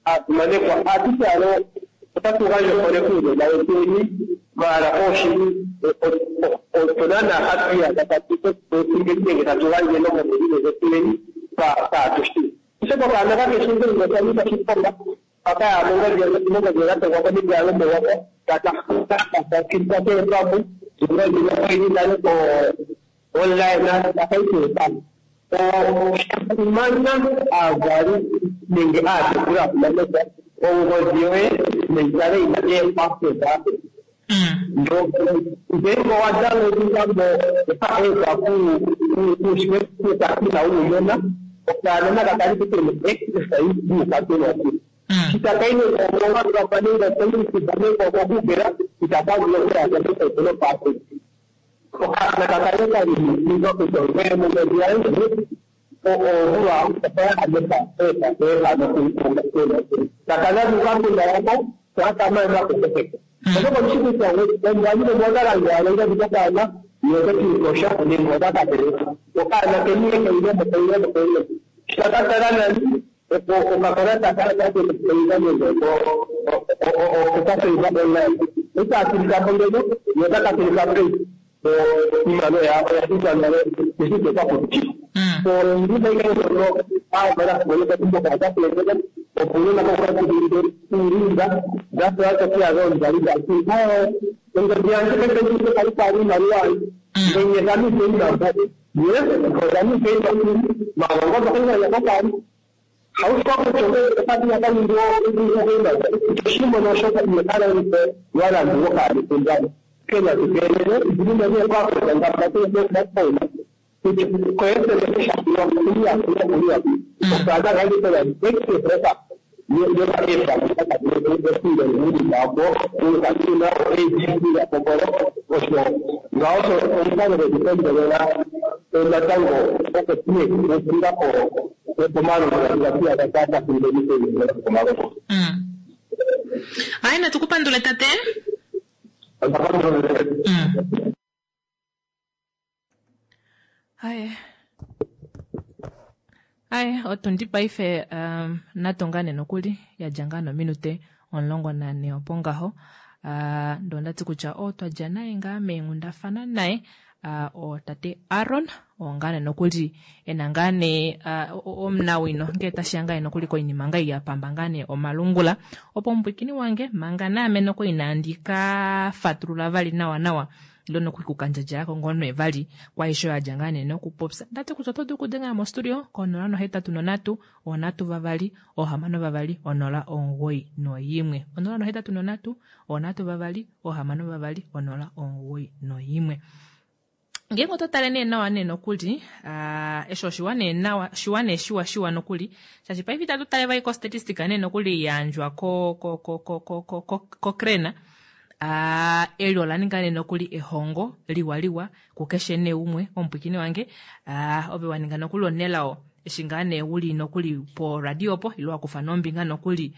aasimanekwa atuhe ano otatu gandja ohole kuunona wetweni maala ooshili otuna na hatu iyadha tatu nenge tatu gandje nomomulilo zetweni kaatushi oshoka okaana kakeshi ngele osha nika oshiponga kaka mongodhi mongodhi gatogwa konima yalombo kaka nale ko online akaiteepamwe oshasimana aavali nenge aatekuli aakumanekwa ongodhi yoye nayikale yina eepassword ngenge owa downloadingamo okaepa kuukatuna wuunona okaanona kakali kutene access yuukatuna kitakaine owangapanenga nenge okogugela itakavula okuyaaa password okaana kakale kali ninga kutya ngoye mongodhi yange ovula oyahameka kakana yako kakamana oshoka omushi kutya omwanyile mwakalanga alonga okaana yotokiikosha nenge otakateleka okaana keniye keilemo keilemo keilemo shakatala nani okakalata kakakeiva nenge okakeiva online etaatulikapo ngeno yotakatulika pei iimaliwa oya thikwa nale eshike kwakuti so ndima ikaono aavali akumoneka mboka atakulekeka Opo uunona kauka uulinga dasoyatokiyaga omuzali dati ongodhi yandje paife kaipali iimaliwa ngenyezamiseimambo yes ozamiseimambo Hayi natukupandule tate. Hayi. Hayi otundi paife natonga nee nokuli yadja ngaa nominute 14 opo ngaho. Ndee ondati kutya oo twadja naye ngaa meenghundafana naye otate Aron oo ngaa nee nokuli ena ngaa nee omunawino ngee tashiya ngaa nokuli koinima ngaa yapamba ngaa nee omalungula opo omupwiikini wange manga naame nokuli inaandi ka fatulula vali nawa nawa ilo nokuli kukandjadjalako ngoo nee vali kwaisho yadja ngaa nee nokupopya. Ndati kutya oto dulu okudenga mostudio ko 083 3 6 2 0 91 083 3 6 2 0 91. Ngeenge oto tale nee nawa nee nokuli eshi oshiwa nee nawa shiwa nee shiwa shiwa nokuli shaashi paife itatu tale vali kostatistika nee nokuli yayandjwa ko ko ko ko ko ko ko koCRAN eli ola ninga nee nokuli ehongo liwa liwa kukeshe nee umwe omupwiikini wange ove wa ninga nokuli onelao eshi ngaa nee uli nokuli po radio opo ilo wakufa nombinga nokuli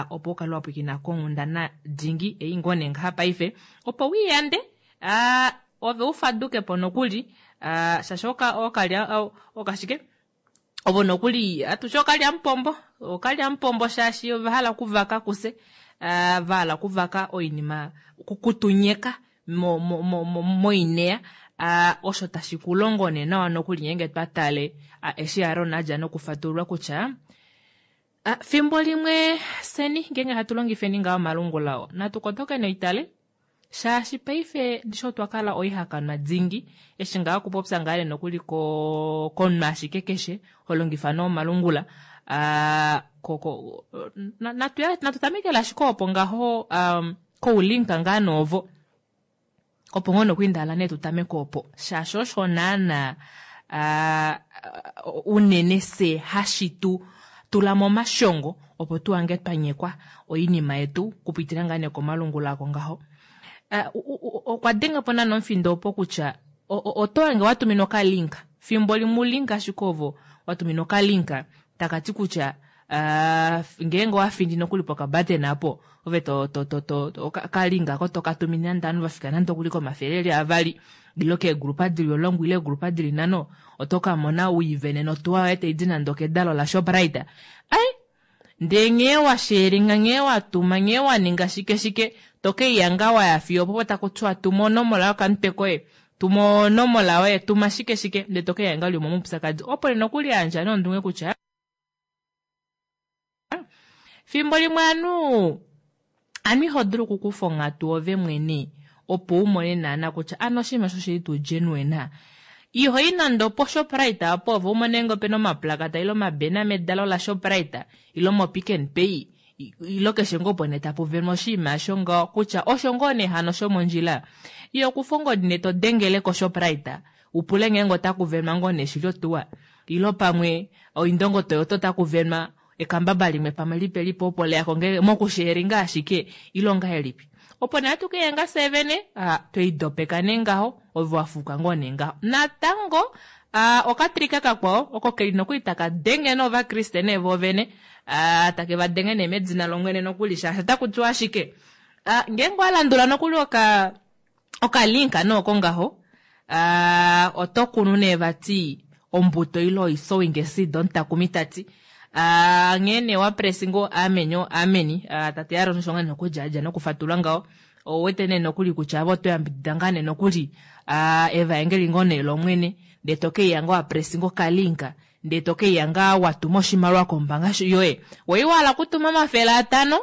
opo ukale wapwiikina konghundana dingi ei ngoo nee ngaha paife opo wiiyande ove ufadukepo nokuli shaashi okalya okashike ovo nokuli atushe okalyamupombo okalyamupombo shaashi ovahala okuvaka kuse vahala okuvaka oinima kutunyeka moineya osho tashi kulongo nee nawa nokuli ngeenge twatale eshi Aron adja nokufatulula kutya fimbo limwe seni ngeenge hatu longifeni ngaa omalungula oo natu kotoke noitale shaashi paife ndisho otwa kala oihakanwa dingi eshi ngaa okupopya ngaa nokuli komunhu ashike keshe holongifa nee omalungula natu tamekele ashike opo ngaho koulinka ngaa noovo opo ngoo nokwiindaala nee tutameke opo shaashi osho naana unene se hashi tu tula momashongo opo tuhange twanyekwa oinima yetu kupitila ngaa nee komalungula ako ngaho. Okwa denga po naana omufindo opo kutya oto hange watuminwa okalinka fimbo limwe ulinka ashike ovo watuminwa okalinka takati kutya ngeenge owafindi nokuli pokabatena apo ove to to to to okalinka ako tokatumine nande ovanhu vafika nande okuli komafele eli avali ilo keegrupa dili 10 ile eegrupa dili 5 oto kamona wiivene notuwa yoye taidi nande okedalo la Shoprite. Ai ndee nghee washaringa nghee watuma nghee waninga shike shike tokeiyanga waya fiyo opo takutiwa tuma onomola yokamutwe koye tuma onomola yoye tuma shike shike ndee tokeiyanga uli momaupyakadi opo nokuli yandja nondunge kutya fimbo limwe anu iho dulu okukufa onghatu ove mwene opo umone naana kutya ano oshinima osho shili tuu genuine ihoyi nande opo Shoprite apo ove umone ngee opena omaplakata ile omabena medalo la Shoprite ilo mo Pick n Pay ilo keshe ngoo opo nee tapu venwa oshinima osho ngaho kutya osho ngoo nee hano shomondjila iyo kufa ongodi nee todengele ko Shoprite upule ngeenge otaku venwa ngoo nee shili otuwa ilo pamwe oindongo Toyota otaku venwa ekambaba limwe pamwe lipe lipe opo leyako ngee mokusharinga ashike ilo ngahelipi opo nee hatu keyenga fye vene tweidopeka nee ngaho ove wafuuka ngoo nee ngaho natango okatrika kakwao oko keli nokuli taka denge novakriste nee voovene take va denge nee medina lomwene nokuli shaashi otaku tiwa ashike ngeenge owalandula nokuli okalinka nooko ngaho oto kunu nee vati ombuto ilo oisowing seed omutakumi tati nghee nee wapresi ngoo ameni o ameni tate Aron osho ngaa nokudja adja nokufatulula ngaho owete nee nokuli kutya avo oto yambidida ngaa nee nokuli evaengeli ngoo nee lomwene ndee tokeiya ngoo wapresi ngoo okalinka. Ndee to keiya ngaa wa tuma oshimaliwa kombaanga yoye. Wei wa hala okutuma 500,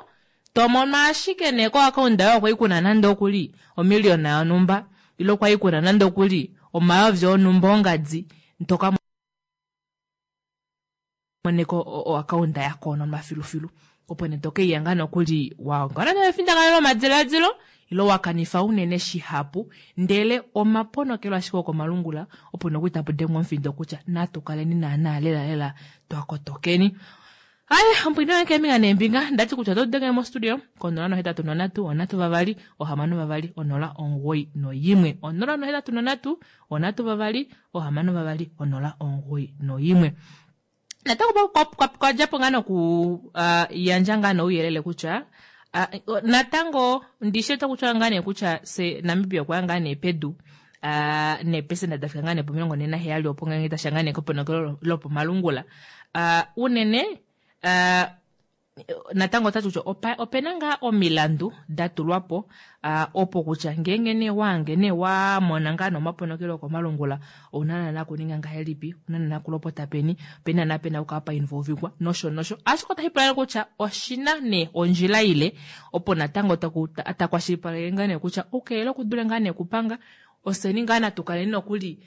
to mono ashike nee koakaunda yoye okwai kuna nande okuli omiliona yonhumba ile okwai kuna nande okuli omayovi onhumba ongadi toka moneko oakaunda ya kononwa filufilu. Opo nee to keiya ngaa nokuli wa ongala nefindakano lomadiladilo ile wa kanifa unene shihapu ndele omaponokelo ashike okomalungula opo nokuli tapu dengwa omufindo kutya natu kaleni naana lela lela twa kotokeni. Aye, ompwino yange keembinga neembinga ndati kutya oto denge mostudio ko 083 3 6 2 0 91 083 3 6 2 0 91. Natango kwa djapo ngaa noku yandja ngaa nouyelele kutya natango ndishi ota kutya ngaa nee kutya se Namibia okwa ya ngaa nee pedu neepesenda dafika ngaa nee po 47 opo ngeenge tasha ngaa nee keponokelo lopomalungula unene natango otati kutya opena ngaa omilandu da tulwa po opo kutya ngeenge nee waange nee wa mona ngaa nomaponokelo okomalungula ouna naana kuninga ngahelipi, ouna naana kulopota peni, openi naana pena okukala pa involvingwa nosho nosho. Ashike otashi pula kutya oshina nee ondjila ile opo natango takwashilipaleke ngaa nee kutya oukelele okudule ngaa nee okupanga ofyeni ngaa natu kaleni nokuli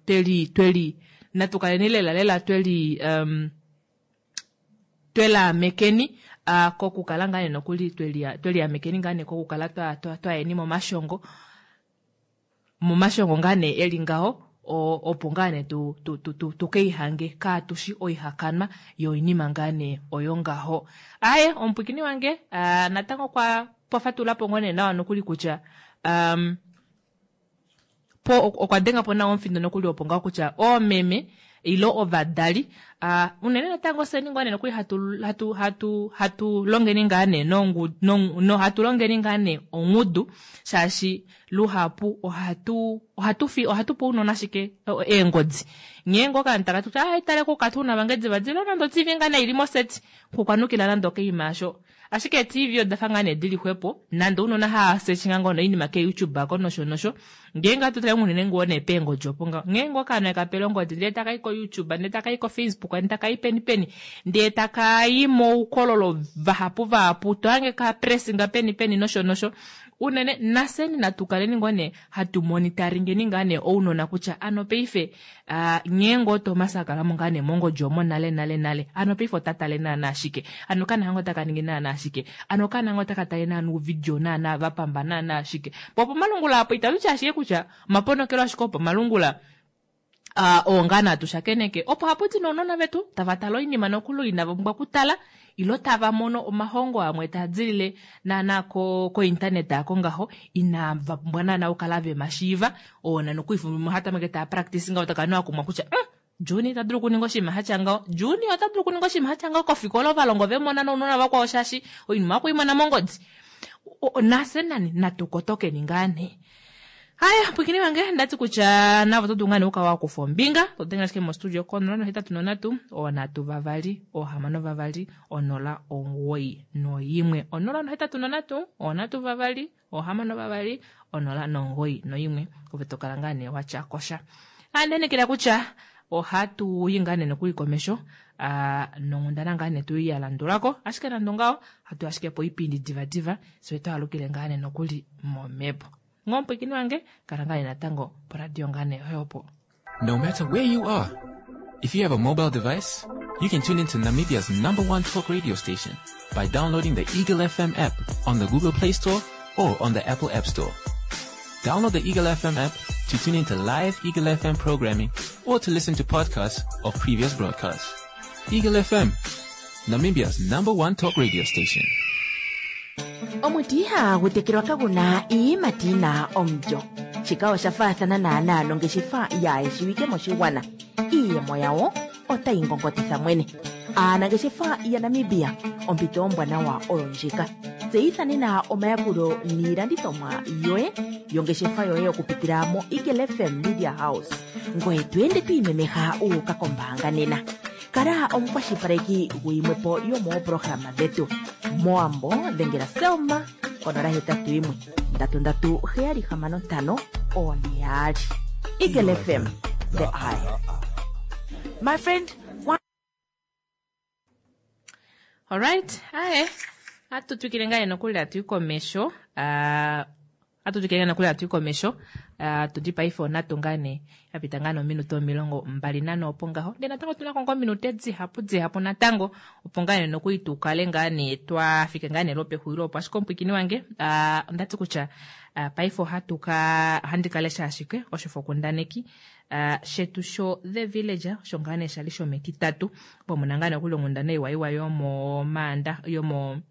tweli tweli natu kaleni lela lela tweli twelaamekeni kokukala ngaa nee nokuli tweliamekeni ngaa nee kokukala twayeni momashongo momashongo ngaa nee eli ngaho opo ngaa nee tukeihange kaatushi oihakanwa yoinima ngaa nee oyo ngaho. Aye omupwikini wange natango kwa fatulapo ngoo nee nawa nokuli kutya po okwa denga po nawa omufindo nokuli opo ngaho kutya oomeme ile ovadali unene natango fyeni ngoo nee nokuli hatu longeni ngaa nee no hatu longeni ngaa nee ongudu shaashi luhapu ohatu pe ounona ashike eengodi. Ngeenge okaana taka ti kutya tale ko okatuna vange divadiva nande o-TV ngaa nee ili moseti kukwanukila nande okeima asho. Ashike TV odafa ngaa nee dili xwepo nande ounona hava searchinga ngoo noinima ke YouTube ako nosho nosho. Ngeenge hatu tale unene ngoo nee peengodi opo ngaho. Ngeenge okaana kapele ongodi ndele takai ko YouTube ndele takai ko Facebook ndele takai peni peni ndele takai moukololo vahapu vahapu tohange ka pressinga peni peni nosho nosho. Unene nafyeni natu kaleni ngoo nee hatu monitoringeni ngaa nee ounona kutya ano paife nghee ngoo Thomas akalamo ngaa nee mongodi omo nale nale nale ano paife ota tale naana ashike ano okaana ngoo taka ningi naana ashike ano okaana ngoo taka tale naana ouvidio naana vapamba naana ashike. Po pomalungula apo itatu ti ashike kutya omaponokelo ashike opomalungula oo ngaa natu shakeneke opo hapu ti nounona vetu tava tale oinima nokuli inava pumbwa okutala ilo tava mono omahongo amwe taa dilile naana ko-internet ako ngaho inava pumbwa naana okukala vemashiiva oona nokuli hatameke taa practice ngaho taka noa kumwa kutya Juni ota dulu okuninga oshinima shatya ngaho, Juni ota dulu okuninga oshinima shatya ngaho kofikola ovalongo vemona nounona vakwao shaashi oinima okuimona mongodi. Nafye nani natu kotokeni ngaa nee. Haya, pwikini vange ndati kutya navo oto dulu ngaa nee okukala wa kufa ombinga to denge ashike mostudio ko 083 3 6 2 091 083 3 6 2 091 ove to kala ngaa nee watya kosha. Andenekela kutya ohatu yi ngaa nee nokuli komesho nonghundana ngaa nee tu ya landulako ashike nande ongaho hatu ashike po oipindi divadiva fye twaalukile ngaa nee nokuli momhepo. Ngomupwikini wange kala ngaa nee natango poradio ngaa nee oyo opo. No matter where you are, if you have a mobile device, you can tune into Namibia's #1 talk radio station by downloading the Eagle FM app on the Google Play Store or on the Apple App Store. Download the Eagle FM app to tune into live Eagle FM programming or to listen to podcasts of previous broadcasts. Eagle FM, Namibia's #1 talk radio station. Omuti ihagu tekelwa kaguna iiyimati yina omulyo. Shika osha faathana naana nongeshefa yaayeshiwike moshigwana. Iiyemo yawo otayi ngongotitha mwene. Aanangeshefa yaNamibia, ompito ombwanawa oyo ndjika. Tseyitha nena omayakulo niilandithomwa yoye yongeshefa yoye okupitila mo Eagle FM Media House. Ngoye to ende to imemeha u uka kombaanga nena. Kala omukwashilipaleki guyimwepo yomooprograma dhetu. Moambo dhengela Selma konola hetatu yimwe ndatu ndatu heyali hamano ntano one yaali. Eagle FM, the eye. My friend, why Alright, aye. Atu twikile ngaa nokuli atu i komesho. Ah, atu twikile ngaa nokuli atu i komesho. Ah, tudi paife onatu ngaa nee ya pita ngaa nominute 25 opo ngaho. Ndele natango otuna ko ngaa ominute dihapu dihapu natango opo ngaa nee nokuli tu kale ngaa nee twa fika ngaa nee lwopexulilo opo. Ashike omupwiikini wange, ah, ondati kutya ah, paife ohatu ka ohandi ka lesha ashike oshifokundaneki ah, shetu sho The Villager osho ngaa nee shali shometitatu opo muna ngaa nee okuli onghundana iwa iwa yomomaanda yomo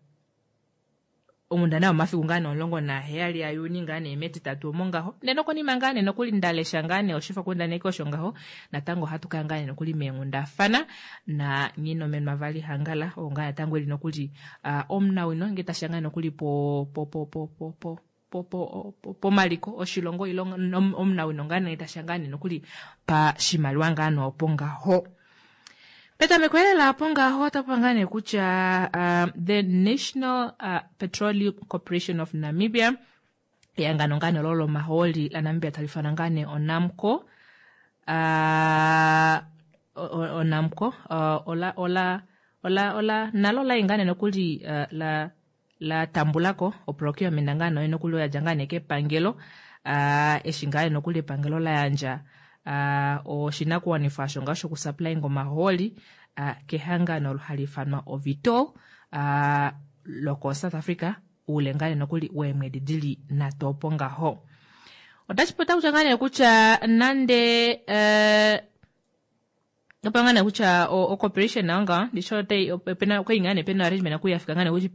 onghundana yomafiku ngaa nee 17 aJuni ngaa nee metitatu omo ngaho. Ndele nokonima ngaa nee nokuli nda lesha ngaa nee oshifokundaneki osho ngaho natango ohatu kaya ngaa nee nokuli meenghundafana na Nghinomenwa Vali Hangala oo ngaa natango eli nokuli ah, omunawino ngee tashiya ngaa nokuli po po po po po po po po po pomaliko oshilongo ile omunawino ngaa nee tashiya ngaa nee nokuli pashimaliwa ngaa nee opo ngaho. Petameko lela opo ngaho otapu ngaa nee kutya uh, the National uh, Petroleum Corporation of Namibia ehangano ngaa nee olo lomahooli laNamibia tali ifanwa ngaa nee oNamcor uh, oNamcor uh, ola ola ola ola nalo lai ngaa nee nokuli uh, la la tambulako oprocurement ngaa nee nokuli oya dja ngaa nee kepangelo uh, eshi ngaa nee nokuli epangelo la yandja uh, oshinakuwanifwa osho ngaa shokusupplyinga omahooli uh, kehangano olo hali ifanwa oVitol uh, loko South Africa oule ngaa nee nokuli weemwedi dili nhatu opo ngaho. Otashi pota kutya ngaa nee kutya nande uh, opo ngaa nee kutya ocorporation nayo ngaho ndishi otai opena okwali ngaa nee pena arrangement oku yafika ngaa nee kutya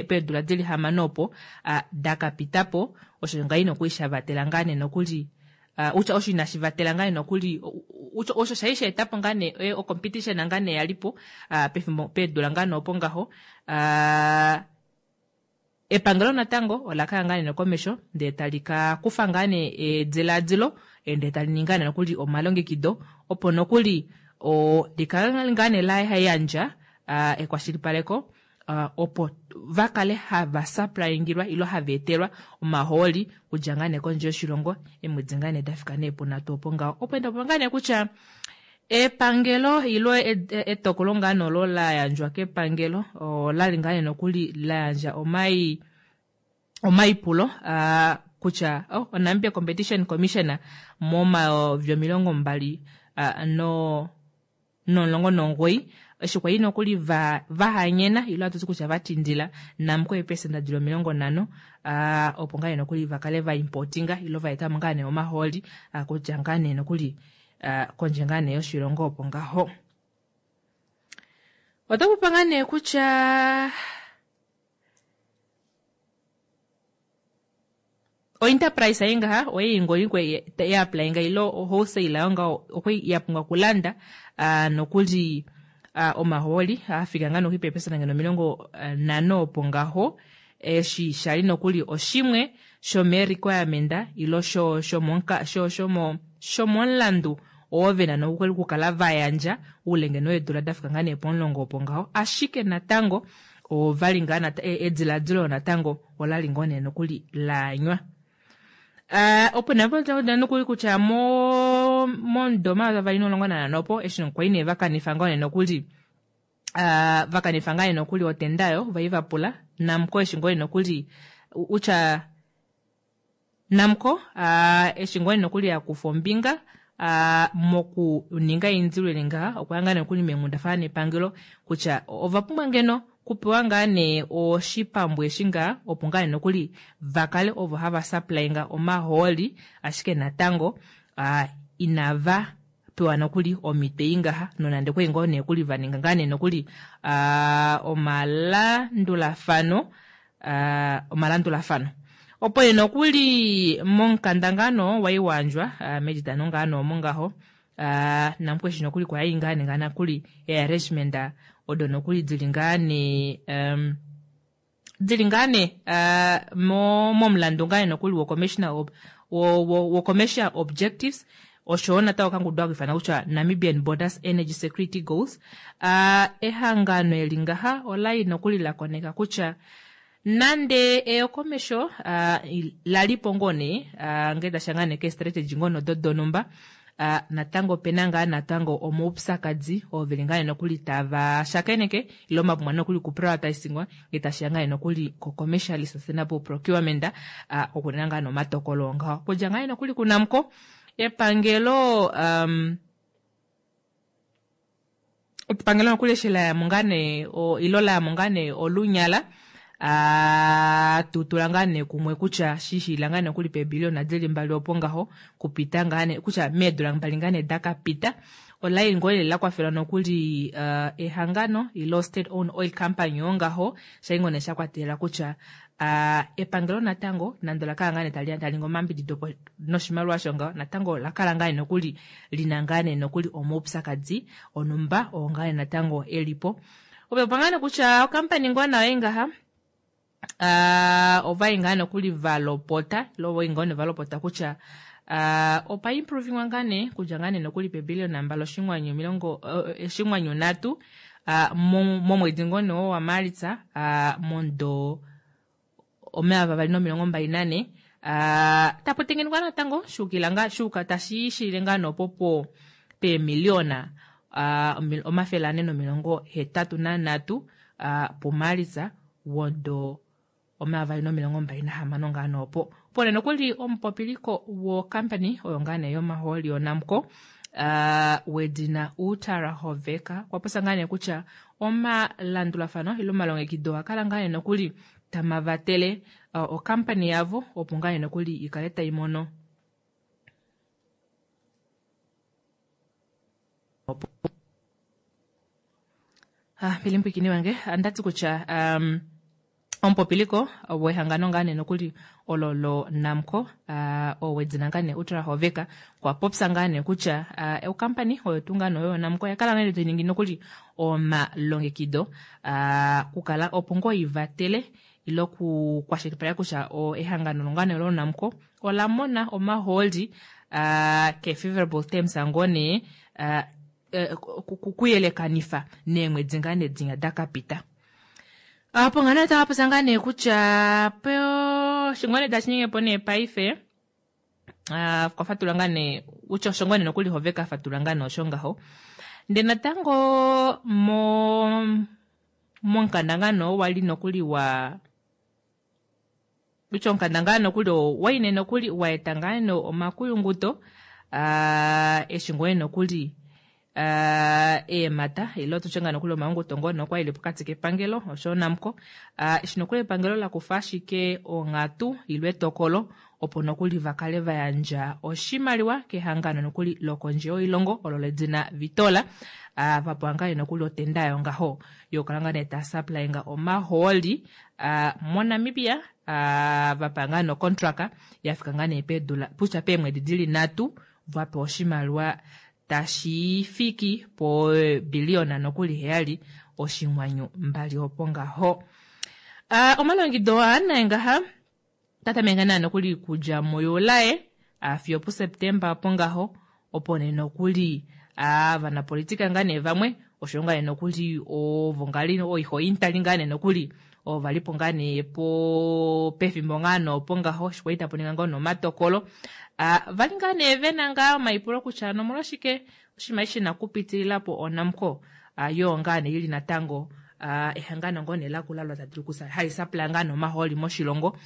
peedula dili hamano opo dakapita po osho ngaa ina okuli shavatela ngaa nee nokuli utya osho inashi vatela ngaa nee nokuli utya osho shali sha etapo ngaa nee ocompetition ngaa nee yalipo pefimbo peedula ngaa nee opo ngaho epangelo natango ola kaya ngaa nee komesho ndee tali ka kufa ngaa nee ediladilo ndee tali ningi ngaa nee nokuli omalongekido opo nokuli likale ngaa nee la yandja ekwashilipaleko opo va kale hava supplyingilwa ilo hava etelwa omahooli kudja ngaa nee kondje yoshilongo eemwedi ngaa nee dafika nee punhatu opo ngaho. Opo enda opo ngaa nee kutya epangelo ilo etokolo ngaa nee olo la yandjwa kepangelo olali ngaa nee nokuli la yandja omaipulo kutya oh, oNamibia Competition Commission momayovi 20 no19 eshi kwali nokuli vahanyena ilo hatuti kutya vatindila Namcor eepesenda dili 50 opo ngaa nee nokuli vakale vaimportinga ilo vaetamo ngaa nee omahooli kudja ngaa nee nokuli kondje ngaa nee yoshilongo opo ngaho. Otakupa ngaa nee kutya oenterprise ei ngaha oye ngoli kwe ya applyinga ilo wholesale ayo ngaho okwe ya pumbwa okulanda nokuli omahooli afika ngaa nokuli peepesenda ngeno 50 opo ngaho eshi shali nokuli oshimwe shomee requirement ilo shomomulandu oo vena nokuli okukala vayandja oule ngeno weedula dafika ngaa nee pomulongo opo ngaho ashike natango ovali ngaa ediladilo natango olali ngoo nee nokuli laanywa. Opo napo nokuli kutya momudo 2015 opo eshi kwali nee vakanifa ngoo nee nokuli vakanifa ngaa nee nokuli otenda yo vai vapula Namcor eshi ngoo nee nokuli utya Namcor eshi ngoo nee nokuli yakufa ombinga mokuninga eindilo eli ngaha okwa ngaa nokuli meenghundafana nepangelo kutya ova pumbwa ngeno kupewa ngaa nee oshipambu eshi ngaa opo ngaa nee nokuli vakale ovo hava supplyinga omahooli ashike natango inava pewa nokuli omito ei ngaha nonande kwali ngoo nee kuli vaninga ngaa nee nokuli omalandulafano omalandulafano opo nee nokuli momukanda ngaa noo wai wayandjwa metitano ngaa nee omo ngaho Namcor eshi nokuli kwali ngaa nee nokuli earrangement odo nokuli dili ngaa nee dili ngaa nee momulandu ngaa nee nokuli wo commissioner wo commercial objectives oshowo natango okangudu haka ifanwa kutya Namibian Borders Energy Security Goals. Ehangano eli ngaha olali nokuli lakoneka kutya nande eyokomesho lalipo ngoo nee ngee tashiya ngaa nee keestrategy ngoo nodo donumba. Natango opena ngaa natango omaupyakadi oo veli ngaa nee nokuli tava shakeneke ile omapumbwa nokuli kuprioritisingwa ngee tashiya ngaa nee nokuli ko commercially sustainable procurement okunena ngaa nee omatokolo ongaho okudja ngaa nee nokuli kuNamcor epangelo epangelo nokuli eshi layamo ngaa nee ilo layamo ngaa nee olunyala tutula ngaa nee kumwe kutya shishila ngaa nokuli peebiliona dili mbali opo ngaho kupita ngaa nee kutya meedula mbali ngaa nee dakapita olai ngoo lela lakwafelwa nokuli ehangano ilo state owned oil company oo ngaho shai ngoo nee shakwatelela kutya epangelo natango nande olakala ngaa nee talingi omayambidido noshimaliwa osho ngaho natango olakala ngaa nee nokuli lina ngaa nee nokuli omaupyakadi onumba oo ngaa nee natango elipo. Opepa ngaa nee kutya okampani ngoo nayo ngaha ovai ngaa nokuli valopota ilo ovai ngoo nee valopota kutya opa improvingwa ngaa nee kudja ngaa nee nokuli pebilliona 2.3 momwedi ngoo nee wa Maalitsa momudo 2024 tapu tengenekwa natango shuukila ngaa shuuka tashi shilile ngaa noopopo peemiliona 483 puMaalitsa womudo 2026 ngaa noopo. Opo nee nokuli omupopiliko wokampani oyo ngaa nee yomahooli yoNamcor wedina Utara Hoveka okwa popya ngaa nee kutya omalandulafano ile omalongekido okwa ngaa nee nokuli tamavatele okampani yavo opo ngaa nee nokuli ikale tai mono pilimpwikini wange andati kutya omupopiliko wehangano ngaa nee nokuli olo lo Namcor owedina ngaa nee Utara Hoveka okwa popya ngaa nee kutya okampani oyo tuu ngaa nee oyo Namcor oya kala ngaa nee tayi nokuli omalongekido kukala opo ngoo ivatele ile okukwashilipaleka kutya ehangano ngaa nee lo Namcor ola mona omahooli ke favorable terms ngoo nee kuyelekanifa neemwedi ngaa nee dinya dakapita. Apo ngaa nee otava ngaa nee kutya shingone tashi ningi po nee paife kwa fatula ngaa nee kutya osho ngoo nee nokuli Hoveka fatula ngaa nee osho ngaho. Ndee natango momukanda ngaa nee wali nokuli wa kutya omukanda ngaa nokuli waine nokuli waeta ngaa nee omakuyunguto eshi ngoo nokuli eemata ile tutye ngaa nokuli omayunguto ngoo nee okwali pokati kepangelo osho Namcor eshi nokuli epangelo lakufa ashike onghatu ile etokolo opo nokuli vakale vayandja oshimaliwa kehangano nokuli lokondje yoilongo olo ledina Vitola vapewa ngaa nokuli otenda yayo ngaho yokukala ngaa nee tasupplyinga omahooli moNamibia vapewa ngaa nocontract yafika ngaa nee peedula kutya peemwedi dili 3 vapewa oshimaliwa tashi fiki po biliona nokuli 7.2 opo ngaho. Omalongido aa ngaha tatameka naa nokuli kudja muJulae fiyo puSeptemba opo ngaho opo nee nokuli ovanapolitika ngaa nee vamwe osho ngaa nee nokuli ovo ngali oihointali ngaa nee nokuli ovalipo ngaa nee po pefimbo ngaa noopo ngaho eshi kwali tapu ninga ngoo nomatokolo vali ngaa nee vena ngaa omaipulo kutya nomolwashike oshinima eshi shina kupitilila po oNamcor yoo ngaa nee ili natango ehangano ngoo nee lakula lo tali dulu hali supply ngaa nomahooli moshilongo.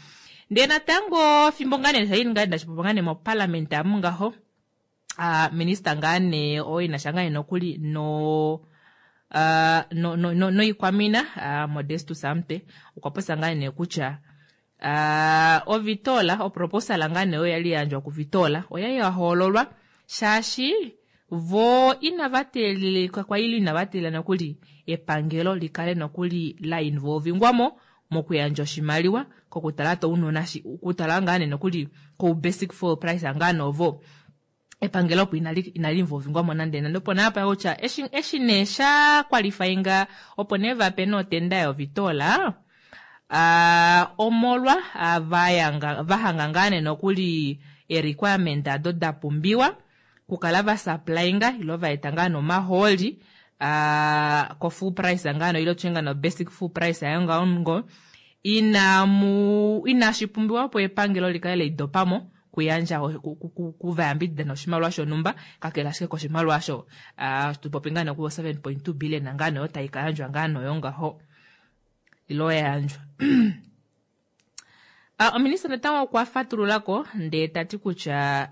Ndee natango fimbo ngaa nee shali ngaa dashipopiwa ngaa nee moparliament amu ngaho minister ngaa nee oo inasha ngaa nee nokuli no noikwamina Modestus Amte okwa popya ngaa nee kutya oVitola oproposal ngaa nee oyo yali yayandjwa kuVitola oyali yahoololwa shaashi vo inava teelelika kwaili inava teelela nokuli epangelo likale nokuli la involvingwamo mokuyandja oshimaliwa kokutala tounona kutala ngaa nee nokuli ko basic fuel price ngaa novo epangelo opo inali involvingwamo nande nande opo naapa kutya eshi nee sha qualifyinga opo nee vape notenda yoVitola omolwa vahanga ngaa nee nokuli e-requirement ado dapumbiwa kukala vasupplyinga ilo vaeta ngaa nomahooli ko full price ngaa no ilo tutye ngaa no basic full price ayo ngaho ngo inashi pumbiwa opo epangelo likale leidopamo. kuyandja kuvayambidida noshimaliwa shonhumba kakele ashike koshimaliwa osho tupopi ngaa nee 7.2 billion ngaa nee oyo tai ka yandjwa ngaa nee oyo ngaho ile oya yandjwa. Ominista natango okwa fatululako ndee ta ti kutya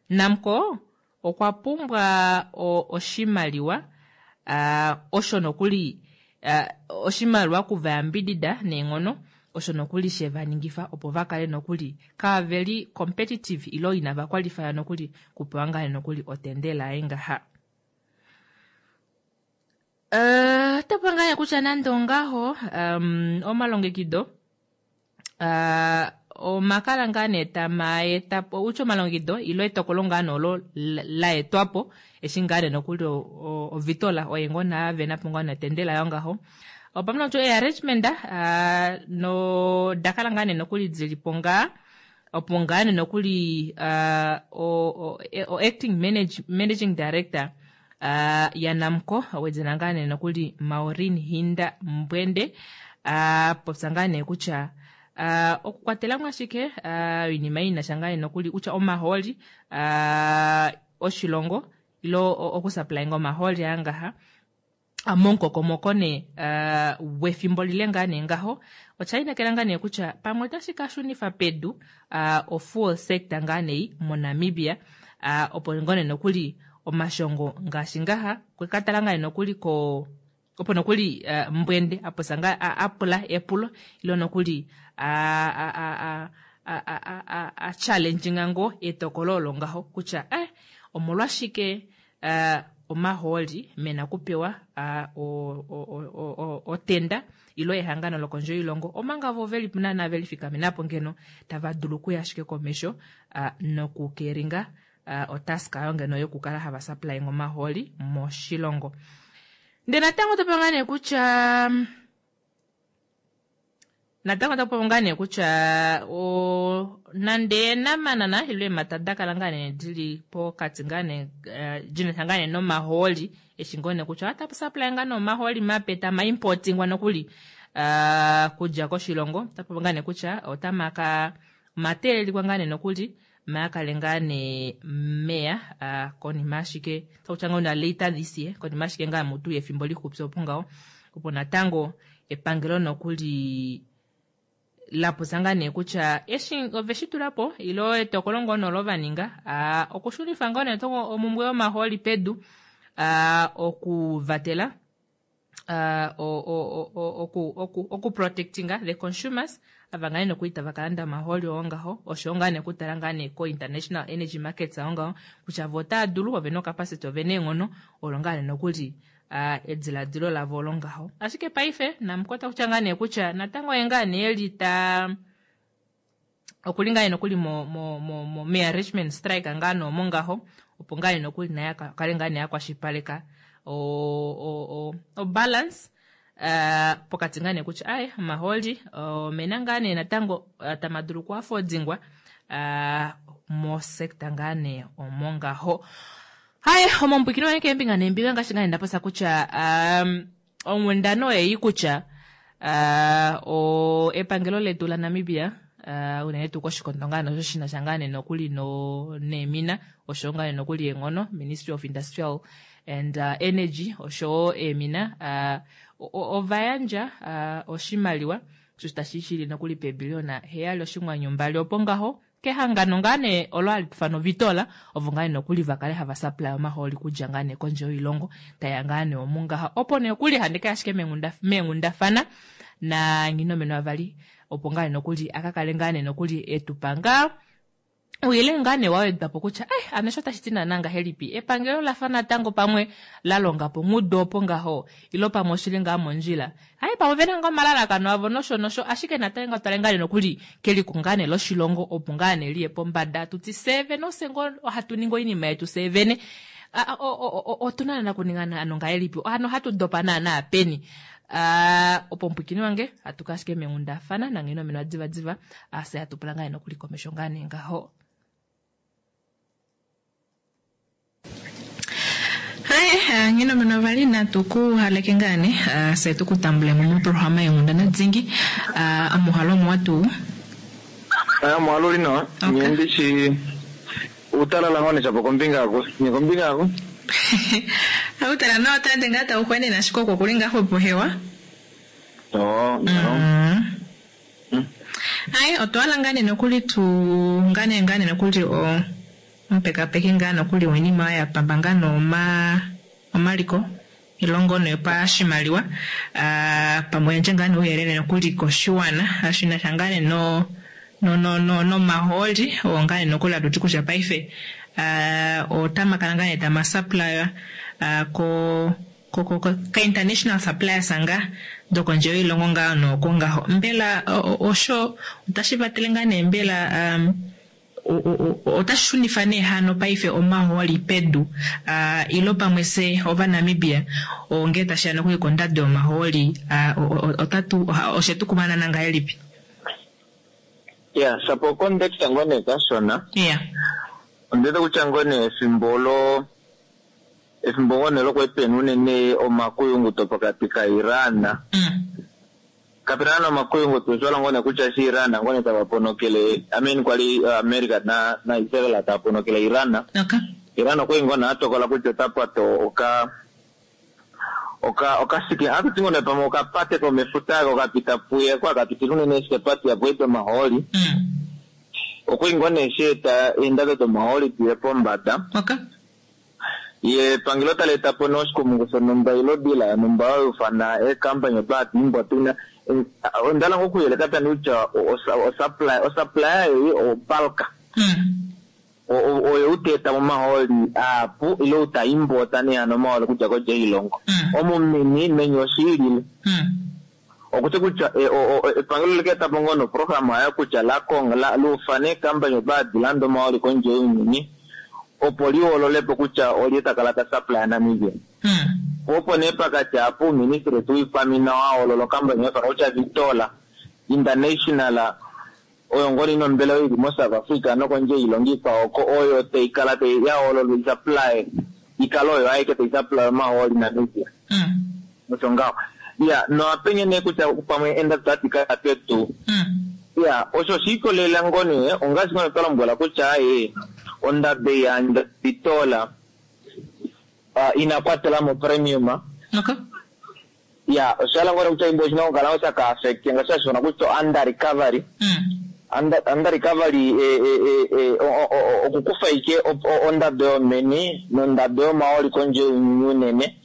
Namcor okwa pumbwa oshimaliwa osho nokuli oshimaliwa kuvayambidida neenghono osho nokuli she va ningifa opo va kale nokuli kaaveli competitive ilo inava kwalifaya nokuli kupewa ngaa nokuli otendela yaye ngaha. Ota pula ngaa kutya nande ongaho omalongekido omakala ngaa nee tama eta po utya omalongekido ilo etokolo ngaa nee olo la etwa po eshi ngaa nee nokuli ovitola oye ngoo naa vena po ngaa notendela yo ngaho opamwe nokutya earrangement no dakala ngaa nee nokuli dili po ngaa opo ngaa nee nokuli o acting managing director yaNamcor wedina ngaa nee nokuli Maureen Hinda Mbwende popya ngaa nee kutya okukwatela mo ashike oinima ei inasha ngaa nee nokuli kutya omahooli oshilongo ilo okusupplyinga omahooli aa ngaha momukokomoko nee wefimbo lile ngaa nee ngaho osha inekela ngaa nee kutya pamwe otashi ka shunifa pedu ofuel sector ngaa nee moNamibia opo ngoo nee nokuli omashongo ngaashi ngaha kweka tala ngaa nee nokuli ko opo nokuli Mbwende aposa ngaa apula epulo ilo nokuli a challenginga ngoo etokolo olo ngaho kutya omolwashike omahooli mena okupewa otenda ilo ehangano lokondje yoilongo omanga vo veli naana veli fikamenapo ngeno tava dulu okuya ashike komesho nokukeringa otask ayo ngeno yokukala hava supplying omahooli moshilongo. Ndee natango oto pewa ngaa nee kutya natango otaku popi ngaa nee kutya nande eenamanana ile eemhata da kala ngaa nee dili pokati ngaa nee dina sha ngaa nee nomahooli eshi ngoo nee kutya otapu supply ngaa nee omahooli mape tama importingwa nokuli kudja koshilongo otapu popi ngaa nee kutya otamaka omateelelikwa ngaa nee nokuli maakale ngaa nee meya konima ashike takutya ngoo na later this year konima ashike ngaa mutu yefimbo lixupi opo ngaho opo natango epangelo nokuli la popya ngaa nee kutya eshi ove shi tula po ilo etokolo ngoo nolo va ninga okushunifa ngoo nee omumbwe yomahooli pedu okuvatela okuprotectinga the consumers ava ngaa nee nokuli tava ka landa omahooli oo ngaho oshoyo ngaa nee okutala ngaa nee ko-international energy markets oo ngaho kutya vo otaa dulu ovena ocapacity ovena eenghono olo ngaa nee nokuli ediladilo lavo olo ngaho ashike paife namukota kutya ngaa nee kutya natango ye ngaa nee eli ta okuli ngaa nee nokuli mo mo mo mo mearrangement strike ngaa nee omo ngaho opo ngaa nee nokuli naye akale ngaa nee akwashipaleka o o o o balance pokati ngaa nee kutya aye omahooli omena ngaa nee natango tama dulu okuafodingwa mosector ngaa nee omo ngaho. Haye omombwikino wange keembinga neembinga ngaashi ngaa nee ndapopya kutya onghundana oyeyi kutya epangelo letu laNamibia unene tuu koshikondo ngaa nosho shi na sha ngaa nee nokuli neemina oshowo ngaa nee nokuli eenghono Ministry of Industrial and Energy oshowo eemina ova yandja oshimaliwa osho tashi shili nokuli peebiliona 7.2 opo ngaho kehangano ngaa nee olo hali ifanwa Vitola ovo ngaa nee nokuli va kale hava supply omahooli kudja ngaa nee kondje yoilongo taya ngaa nee omu ngaha opo nee okuli handi kaya ashike meenghundafana na Nghinomeno Avali opo ngaa nee nokuli aka kale ngaa nee nokuli etupa ngaa ouyelele ngaa nee wa wedwa po kutya eh ano osho tashi ti naana ngahelipi epangelo lafa natango pamwe la longa po nghudo opo ngaho ilo pamwe oshili ngaa mondjila Hai pamwe vena ngaa omalalakano avo nosho nosho ashike natango ngaa twale ngaa nee nokuli keliko ngaa nee loshilongo opo ngaa nee liye pombada tuti fye vene ofye ngoo hatu ningi oinima yetu fye vene otuna naana kuninga ano ngahelipi ano ohatu dopa naana peni opo omupwiikini wange hatu ka ashike meenghundafana nanghene diva diva fye hatu pula ngaa nee nokuli komesho ngaa nee ngaho. Haye, Nghinomeno vali natu ku haleke ngaa ne, fye tu ku tambule mo moprograma yeenghundana dingi. Omuhalo omuwa tuu? Aya mwaluli nawa. Okay. Ndishi utalala ngone chapo kombinga yako. Ni kombinga yako? Outala nawa otande ngaa tau xwenene ashike oko kuli ngaa xwepo hewa. Oh, no. Ai, otwa ngaa nee nokuli tu ngaa nee ngaa nee nokuli o omupekapeki ngaa nokuli woinima oyo ya pamba ngaa nooma omaliko ilongo noyopashimaliwa ah, pamwe yandje ngaa nee ouyelele nokuli koshiwana shinasha ngaa nee no no no no nomahooli oo ngaa nee nokuli hatu ti kutya paife ah, otamakala ngaa nee tama supplier ah, ko ko ko ko ka international suppliers nga dokondje yoilongo ngaa nooko ngaho mbela osho otashi vatele ngaa nee mbela um, otashi shunifa nee hano paife omahooli pedu uh, ilo pamwe se ovanamibia onge tashiya nokuli kondado yomahooli uh, otatu oshetu kumanana ngahelipi? Yeah, sapo context ngone kashona. Yeah. Ondete kutya ngone efimbo lo efimbo ngone lokwepeni unene omakuyunguto pokati ka Iran. Kapena na omakuyunguto oshola ngone kutya shi Iran ngone tava ponokele, I mean kwali America na na Israel tava ponokele Iran. Okay. Iran okwali ngone atokola kutya otapata oka oka okasike akuti ngone pamwe okapate komefuta ako kapita puye kwa kapitila unene eshikepati yapo omahooli. Okwali ngone sheeta eendado domahooli diye pombada. Okay. Ye epangelo tali eta po nee oshikumungu shonumba ilo dila yonumba oyo ufana eekampany odo hadi imbwa tuna ondala ngoo okuyeleka tani kutya osupply osupplier ei opalka oyo uteeta momahooli aapu ile uta imbota nee hano omahooli okudja kodje yoilongo. Omumini meni oshiilile. Okuti kutya epangelo likeeta po ngoo noprograma yayo kutya lakonga luufane eekampany odo hadi landa omahooli kondje younyuni opo lihoololepo kutya olye takala ta supply Namibia. Opo nee pakati apo uuministry wetu wiikwamina wahoolola okampani haifana kutya Vitola International oyo ngoo ina ombelewa ili mo South Africa nokondje yoilongo ikwao oko oyo taikala yahoololwa isupply ikale oyo aike tai supply omahooli Namibia. Osho ngaho. Ya, noapenye nee kutya pamwe endado tadi kaya pedu. Ya, osho oshiikolelela ngoo nee ongaashi ngoo nee twa lombwela kutya aye ondado yandja Vitola ina kwatelamo premium. Okay. Ya, oshala ngoo nee kutya imbo oshina okukala ngoo shaka affect ngaashi hashifana kutya under recovery. Under recovery okukufa ike ondado yomeni nondado yomahooli kondje younyuni unene.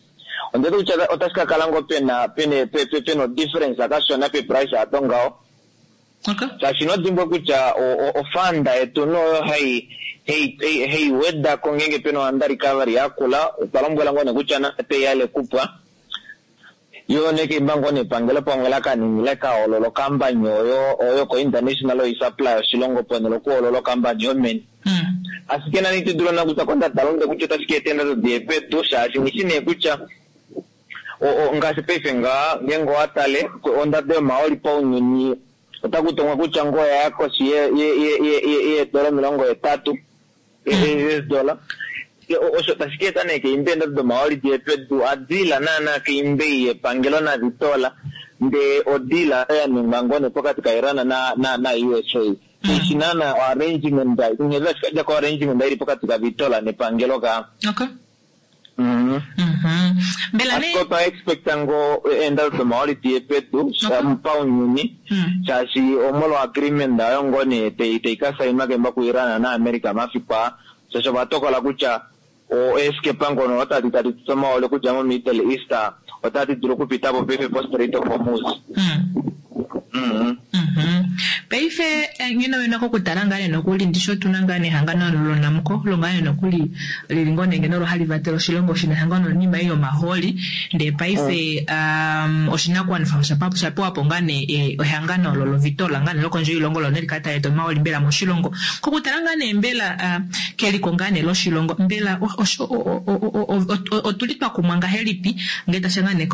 Ondete kutya otashi ka kala ngoo pena pene pena difference akashona pe price ato ngaho. Okay. Shaashi inodimbwa kutya ofanda yetu noyo hai hei wedako ngeenge pena under recovery yakula, otwa lombwela ngoo nee kutya nate yale kupwa. Yo nee keimba ngoo nepangelo pamwe lakanini lekahoolola okampani oyo oyo ko international oyo supply oshilongo ponhele okuhoolola okampani yomeni. Ashike nani ito dulu kutya kondadalunde kutya otashi ka eta eendado diye pedu shaashi nghishi nee kutya ngaashi paife ngaa ngeenge owatale ondado yomahooli paunyuni otaku tongwa kutya ngoo oya koshi yeedola 80 US dollar. Osho tashi ka eta nee keimbe eendado domahooli diye pedu adila naana keimbe yepangelo naVitola ndee odila ya ningwa ngoo nee pokati ka Iran na na na USA. Ishi naana arrangement nghee tashi kadja ko arrangement ili pokati ka Vitola nepangelo ka. Okay. Mbela nee Ashike otwa expecta ngoo eendado domahooli diye pedu paunyuni shaashi omolwa agreement oyo ngoo nee tai ka sainwa kemba ku Iran na America mafiku aa shaashi ova tokola kutya eeskepa ngono otadi tadi tutu omahooli okudja mo Middle East otadi dulu okupita po paife po Strait of Hormuz. Paife ngeno wena kokutala ngaa nee nokuli ndishi otuna ngaa nehangano loNamcor lo ngaa nee nokuli lili ngoo nee ngeno olo hali vatele oshilongo shina ehangano loinima ei yomahooli ndee paife oshinakuwanifwa osha pewa po ngaa nee ehangano olo loVitola ngaa nee lokondje yoilongo lo nee likale tali eta omahooli mbela moshilongo. Kokutala ngaa nee mbela keliko ngaa nee loshilongo mbela otuli twa kumwa ngahelipi ngee tashiya ngaa nee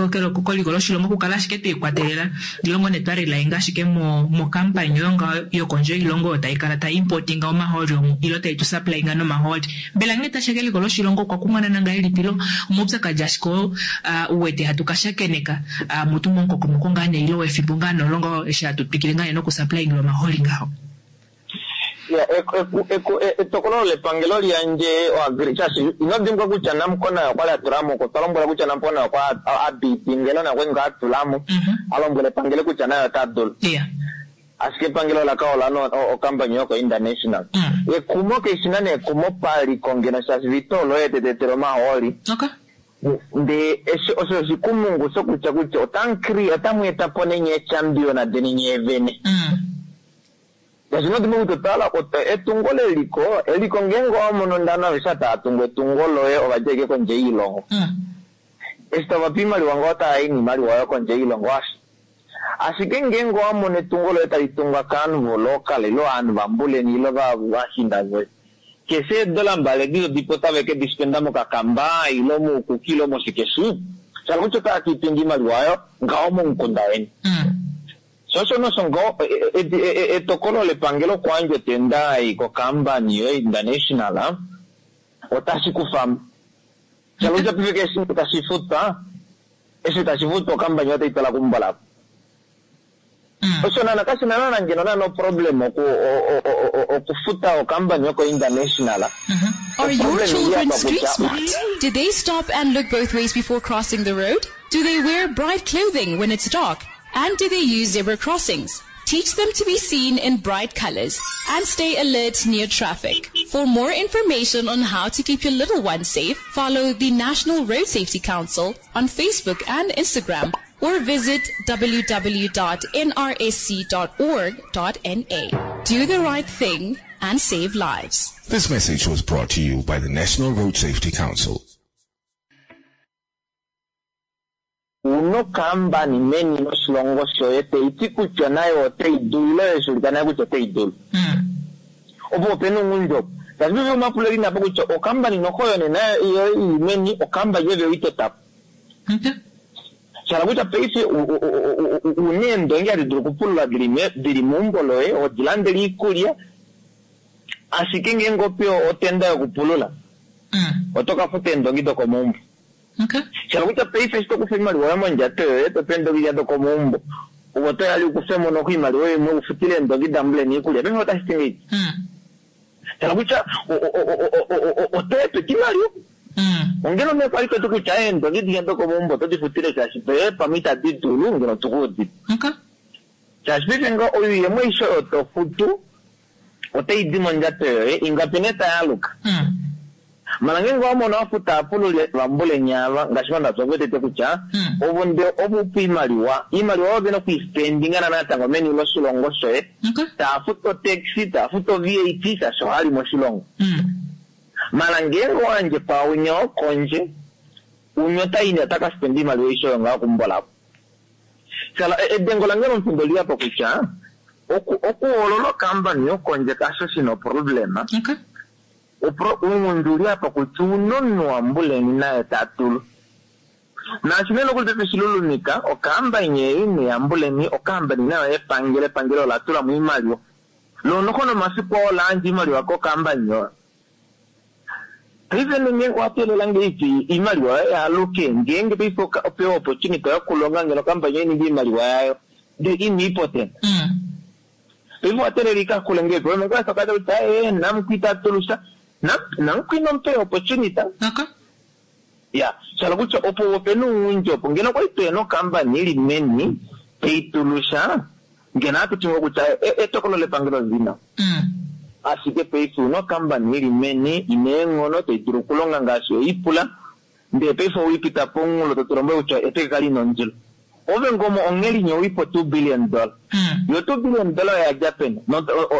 keliko loshilongo okukala ashike twiikwatelela ilongo nee twarilainga ashike mokampani oyo ngaho yokondje yoilongo oyo taikala tai importinga omahooli omu ilo tai tu supplyinga nomahooli. Mbela ngee tashiya keliko loshilongo okwa kumwanana ngahelipi lo omaupyakadi ashike oo uwete hatu ka shakeneka mutu momukokomoko ngaa nee ilo wefimbo ngaa nee olo ngaho eshi hatu twikile ngaa nee nokusupplyinga omahooli ngaho. Etokolo lepangelo liyandje shaashi ino dimbwa kutya Namcor naye okwali atulamo, otwa lombwela kutya Namcor naye okwa abidingelo naye okwali ngaa atulamo, alombwela epangelo kutya naye ota dulu. Ashike epangelo ola ka ola okampani yoko international. Ekumo keshina nekumo paliko ngeno shaashi Vitol oye tetetele omahooli. Ndee osho oshikumungu shokutya kutya otamu eta po nenye echampion deni nyee vene. Ngaashi nodimwe kutya otala etungo leliko, eliko ngeenge owamono ndano aveshe tava tungu etungo loye ovadja ashike kondje yoilongo. Eshi tava pe oimaliwa ngaho otava i noimaliwa oyo kondje yoilongo asho. Ashike ngeenge owamono etungo loye tali tungwa kaanhu volocal ile ovanhu vambuleni ile vashinda voye, keshe eedola mbali edi todipo otave ke di spenda mokakamba ile moukuki ile moshikeshi, shala kutya otava ka itunga oimaliwa oyo ngaho momukunda weni. Sho nosho ngaho etokolo lepangelo okuyandja otenda ei kokambani yo international otashi kufamo. Shala kutya paife keshe tashi futwa, eshi tashi futwa okambani otai twala kumbolako. Osho nana kashina nana ngeno nana oproblem okufuta okambani yoko international. Are your children street smart? Do they stop and look both ways before crossing the road? Do they wear bright clothing when it's dark? And do they use zebra crossings? Teach them to be seen in bright colors and stay alert near traffic. For more information on how to keep your little ones safe, follow the National Road Safety Council on Facebook and Instagram or visit www.nrsc.org.na. Do the right thing and save lives. This message was brought to you by the National Road Safety Council. Unokambani meni moshilongo shoye taiti kutya nayo otai dulu ile oye nayo kutya otai dulu. Opo opena ounghundi opo. Shaashi paife omapulo eli napo kutya okambani noho yone nayo ili meni okambani ove oitotapo. Shala kutya paife una eendongi hadi dulu okupulula dili meumbo loye, odi landele iikulya, ashike ngeenge opewa otenda yokupulula, oto ka futa eendongi dokomaumbo. Shala kutya paife eshi tokufa oimaliwa yoye mondjato yoye, tope eendongi dokomaumbo, ove oto yali ukufemo noho oimaliwa imwe ufutile eendongi dambuleni iikulya. Paife otashi ti ngahelipi? Shala kutya oto epeka imaliwa. Ongele nee kwali toti kutya eendongi dinya dokomaumbo oto di futile shaashi pamwe itadi dulu ngeno tukuudipe. Shaashi paife ngaho oyuuyemo aishe oyo to futu otai di mondjato yoye, ingapi nee tayaluka. Mala ngeenge owamono wafuta apululi vambuleni ava ngaashi vandapya okuwetete kutya ovo nde ovo upa oimaliwa, oimaliwa oyo vena okuispendinga natango meni loshilongo shoye, taa futu otaxi, taa futu o-VAT shaashi ohali moshilongo. Mala ngeenge owayandje kwaunya wokondje, unya otaini otaka spenda oimaliwa aishe oyo ngaho okumbolapo. Shala edengo lange lomufindo oliyapo kutya okuhoolola okambani yokondje kasho shina oproblema. Ounghundi uli apa kutya una omunhu wambuleni naye ta dulu. Naashi nee nokuli paife shilulumika, okambani ei neyambuleni, okambani nayo yepangelo, epangelo ola tula mo oimaliwa. Loo noho nomafiku oo ola yandja oimaliwa kokambani oyo. Paife ngeenge owa teelela ngahelipi oimaliwa yoye yaaluke, ngeenge paife opewa opportunity yokulonga ngeno okambani oyo ininge oimaliwa yayo, ndele ina ipotent. Paife owa teelela ikakule ngahelipi? Oyo nokwa kata kutya namukwi ita tulusha, namukwi inomupa opportunity. Ya, shala kutya opo opena ounghundi opo ngeno okwali tuhena okambani ili meni taitulusha ngeno ohatu ti ngoo kutya etokolo lepangelo lili nawa. Ashike paife una okambani ili meni ina eenghono tai dulu okulonga ngaashi oipula, ndele paife oweipita pomunghulo to tulombwele kutya epeke kali na ondilo. Ove ngomo onghelinya owipo $2 billion. Yo $2 billion oya dja peni?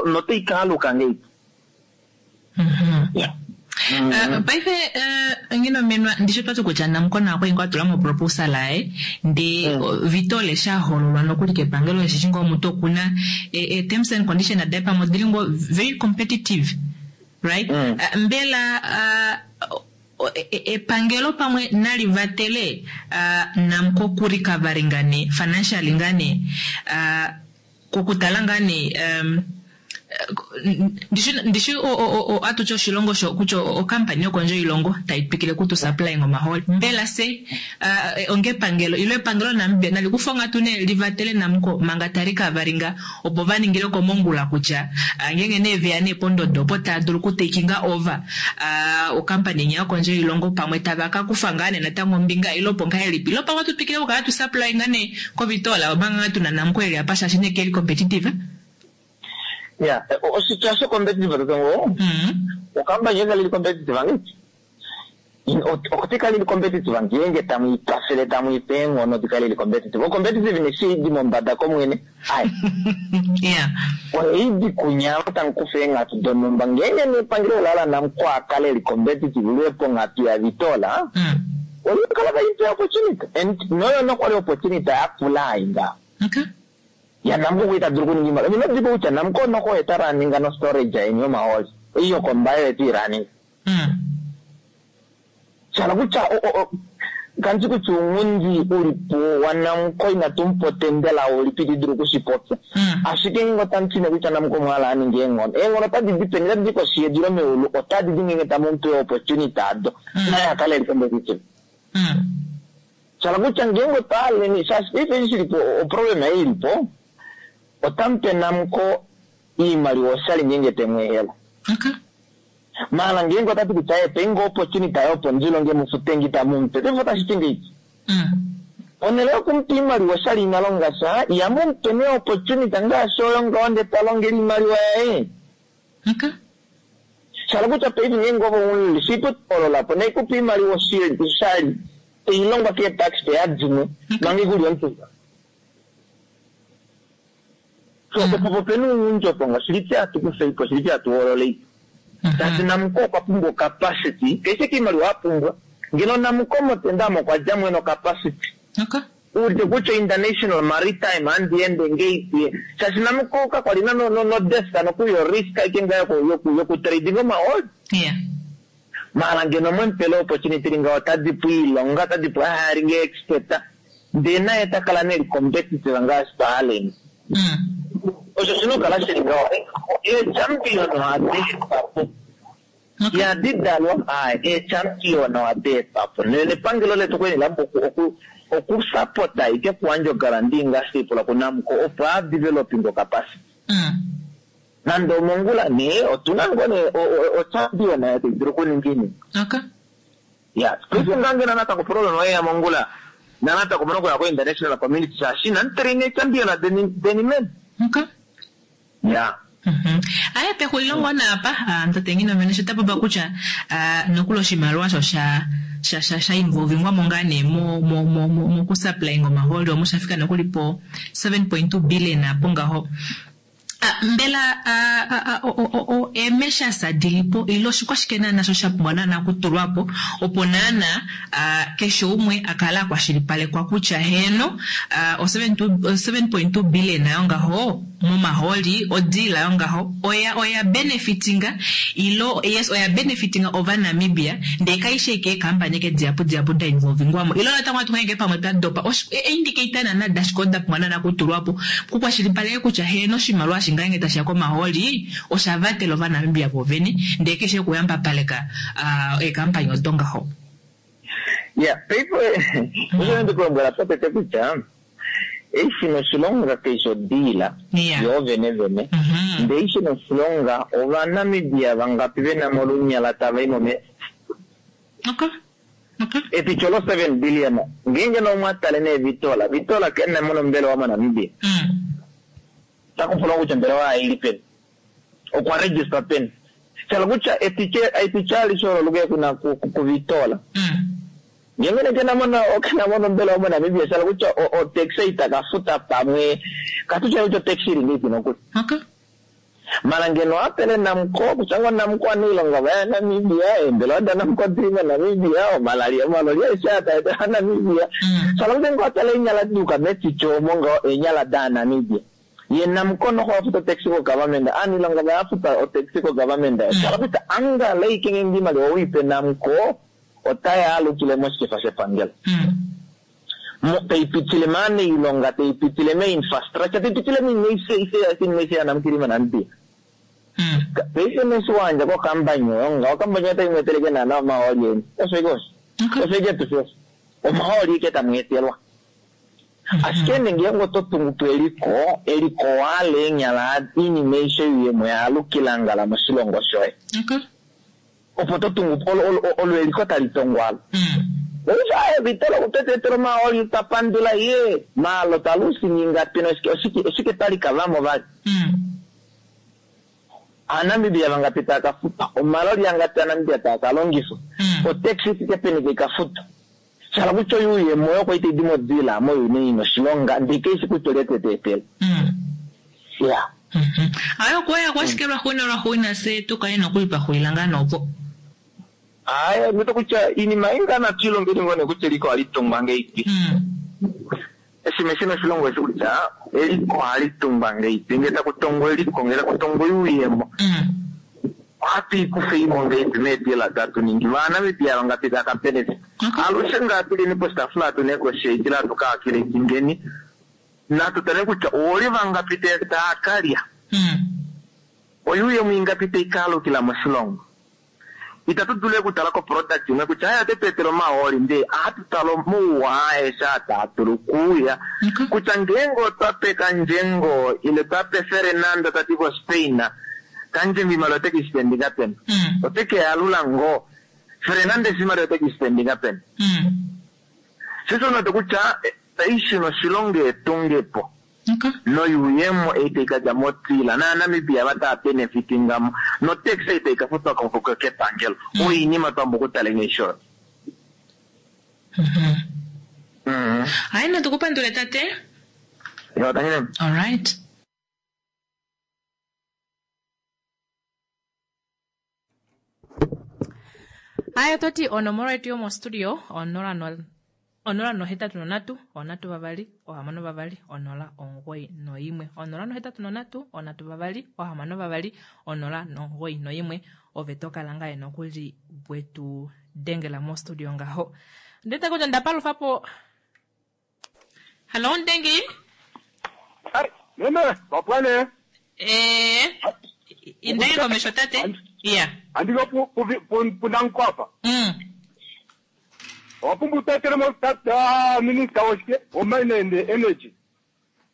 Notai kaaluka ngahelipi? Paife Nghinomenwa ndisho twati kutya Namcor okwali ngoo atula mo proposal yaye ndee Vitol eshi ahololwa nokuli kepangelo eshi ngoo omuntu okuna terms and conditions daye pamwe odili ngoo very competitive, right? Mbela epangelo pamwe nali vatele Namcor ku recovering ne financially ngaa ne kokutala ngaa ne. Ndishi ndishi atuti oshilongo sho kutya okampani yokondje yoilongo tai twikile kutu supplying omahooli. Mbela se onga epangelo ilo epangelo laNamibia nali kufe onghatu nee livatele Namcor manga tali ka valinga opo va ningile komongula kutya ngeenge nee veya nee pondodo opo tava dulu oku takinga over okampani inya yokondje yoilongo pamwe tava ka kufa ngaa nee natango ombinga ile opo ngahelipi ilo pamwe atu twikile okukala tu supplyinga nee kovitoola omanga ngaa tuna Namcor eli apa shaashi nee keli competitive. Ya, oshitya sho competitive tatongo, okampani yoye kali li competitive angeti? Ote kali li competitive ngeenge tamu i kwafele tamu i pe eenghono di kale li competitive. O competitiveness ei di mombada komwene, ai. Oye i di kunya ava tamu kufa eenghatu donhumba. Ngeenge nee epangelo ola hala Namcor a kale eli competitive liye ponghatu yaVitola, oli kala tali pe opportunity. And noyo nokwali opportunity yakula ai ngaho. Ya Namcor okwa ita dulu okuninga iimaliwa. Ino dipa kutya Namcor noko oye ta runninga no storage yeni yomahooli. Ei yokombaye oye te i runninga. Sha hala kutya kandi kutya ounghundi ulipo waNamcor inatu mu pa otendela ulipi iti dulu okushi popya. Ashike ngeenge otamu ti nee kutya Namcor omwa hala a ninge eenghono, eenghono otadi di peni? Otadi di koshi yedu ile meulu? Otadi di ngeenge tamu mu pe opportunity ado. Naye a kale e li competitive. Sha hala kutya ngeenge otwa haleni, shaashi paife eshi shili po, oproblema ei ili po, otamu pe Namcor iimaliwa oshali ngeenge te mu ehela. Maala ngeenge ota ti kutya ee pei nge opportunity ayo opo ndi longe mu fute nge itamu mu pe, paife otashi ti ngeipi? Ponhele yoku mu pa iimaliwa oshali ina longa sha, ihamu mu pe nee opportunity ngaashi oyo ngaho ndee ta longele iimaliwa yaye. Sha hala kutya paife ngeenge ove oumuleli, shipu hoolola po nai ku pe iimaliwa oshali tai longwa kee taxpayer dimwe manga ikuli omutumba. So opo opena ounghundi opo ngo shili fye hatu kufeipo shili fye hatu hoololeipo. Shaashi Namcor okwa pumbwa ocapacity, keshe kiimaliwa a pumbwa. Ngeno Namcor motenda omo okwa dja mwene ocapacity. Uudite kutya international maritime handi ende ngeipi. Shaashi Namcor ka kwali na no, no, no desk nokuli yo risk aike ngaa yoku, yoku, yoku trading omahooli. Maala ngeno mwe mupele opportunity li ngaho otadi pu iilonga, otadi pu hiring expert. Ndee naye ta kala nee eli competitive ngaashi twa haleni. Osho oshina okukala shili ngaho. Eechampion ohadi etwa po. Ihadi dalwa, aaye, eechampion ohadi etwa po. Nepangelo letu okwali la pumbwa oku, oku, okusapota ike okuyandja oguarantee ngaashi tai pulwa kuNamcor opo a developing ocapacity. Nande omongula nee, otu na ngoo nee ochampion oyo tai dulu okuninga iinima. Ya, paife ngaa ngeno natango problem oyeya mongula, na natango omuna okuya ko international community shaashi inamu train eechampion deni, deni men. Ya. Aye, pexulilo ngoo naapa, tate Nghinomene sho ta popa kutya nokuli oshimaliwa osho sha sha sha sha involvingwa mo ngaa nee mo mo mo mo mokusupplying omahooli omo sha fika nokuli po 7.2 billion apo ngaho. Mbela eemeshas dilipo ile oshikwashike naana sho sha pumbwa naana okutulwa po opo naana keshe umwe a kale a kwashilipalekwa kutya heeno o 7.2 billion yongaho momahooli o deal yongaho oya oya benefitinga ilo yes oya benefitinga Ovanamibia ndee kaishi ashike eekampani eke dihapu dihapu da involvingwamo ilo natango ohatu hange pamwe twa dopa eeindicate naana dashike odo da pumbwa naana okutulwa po kukwashilipaleke kutya heeno oshimaliwa eshi ngeenge tashiya komahooli osha vatela Ovanamibia voovene ndee keshe okuyambapaleka eekampani odo ngaho. Ya, paife osho nde ku lombwela potete kutya eshi noshilonga kaishi odiila yoo vene vene, ndee eshi noshilonga Ovanamibia vangapi vena mo olunyala tava i momeva. Epityo lo 7 billion ngeenge nee omwa tale nee Vitola, Vitola kena mo nombelewa moNamibia. Ota ku pulwa kutya ombelewa yaye ili peni, okwa register peni. Sha hala kutya epityo alishe olo luke kuna kuVitola. Ngeenge nee kena mo kena mo nombelewa moNamibia, sha hala kutya otax ita ka futa pamwe, katu tye kutya otax ili ngeipi nokuli. Mala ngeno a pele Namcor, kutya ngoo Namcor anailonga vaya Namibia, eembelewa daNamcor dili moNamibia, omalali omaloli aeshe aa taa etela Namibia. Sha hala kutya ngoo a tale eenyala duuka metityo omo ngaho eenyala daaNamibia. Ye Namcor noho a futa otaxi kogovernment, aaniilonga vaye a futa otaxi kogovernment. Sha hala kutya angala ashike ngeenge iimaliwa owiipe Namcor, otai alukile moshikefa shepangelo. Tai pitile maanailonga, tai pitile mee infrastructure, tai pitile moinima aishe aishe aishe iinima aishe yaNamcor ili moNamibia. Paife neshi wayandja kokambani oyo ngaho, okambani oyo otai mu etele ike naana omahooli eni. Osho ike osho. Osho ike tushe osho. Omahooli ike tamu etelwa. Ashike nee ngeenge oto tungu po eliko, eliko owahala eenyala oinima aishe yuuyemo yaalukila ngala moshilongo shoye. Opo to tungu po, olo eliko tali tongwa alo. Paife aaye Vitolo okwe tu etela omahooli twa pandula ye, maala otwa lusinga ingapi noshike oshike oshike twa lika vamo vali. Aanamibia vangapi tava ka futwa? Omaloli angapi aNamibia taa ka longifwa? Otax i fike peni tai ka futwa? Sha hala kutya oyuuyemo oyo kwali tai di modila moyuuni ina oshilonga ndee kaishi kutya olye te tu etele. Ya. Aye okuya kwashike lwaxuuninwa lwaxuuninwa fye tu kale nokuli twa xulila ngaa nee opo. Aye ondiwete kutya iinima ei ngaa natu ilongeni ngoo nee kutya eliko ohali tungwa ngeipi. Oshinima eshi noshilongo eshi kutya eliko ohali tungwa ngeipi, ngee taku tongwa eliko, ngee taku tongwa oyuuyemo, ohatu i kufa imo ngeipi meedeal ado hatu ningi. VaaNamibia vangapi tava ka benefit? Alushe ngaa tuleni poshitaafula hatu negotiate ile hatu calculatingeni, natu tale kutya oolye vangapi tava ka lya, oyuuyemo ingapi tai ka alukila moshilongo. Itatu dulu okutala koproduct imwe kutya hayo ote tu etele omahooli ndee ohatu tala omauwa aeshe aa taa dulu okuuya kutya ngeenge otwa pe Kandjengo ile twa pe Fernando ta di koSpain, Kandjengo oimaliwa ote ke i spendinga peni? Ote ke i alula ngoo? Fernandes oimaliwa ote ke i spendinga peni? Sho osho unene kutya paife noshilongo etungepo. Noyuuyemo ei tai ka dja motila, nAanamibia ava tava benefitinga mo, notax ei tai ka futwa kepangelo. Oinima twa pumbwa okutala nghee oyo. Hayi natu ku pandule tate. Yo, tangi nene. Alright. Haya oto ti onomola yetu yomostudio 083 3 6 2 091 083 3 6 2 091 ove to kala ngaye nokuli wetu dengela mostudio ngaho ndete kutya ndapalufa po Hallo Ndengi. Hai, meme, vapwane. Eh, indai komesho tate. Iya. Andiko pu pu pu punankwapa. Owa pumbwa utetele mo tata minista woshike womine and energy.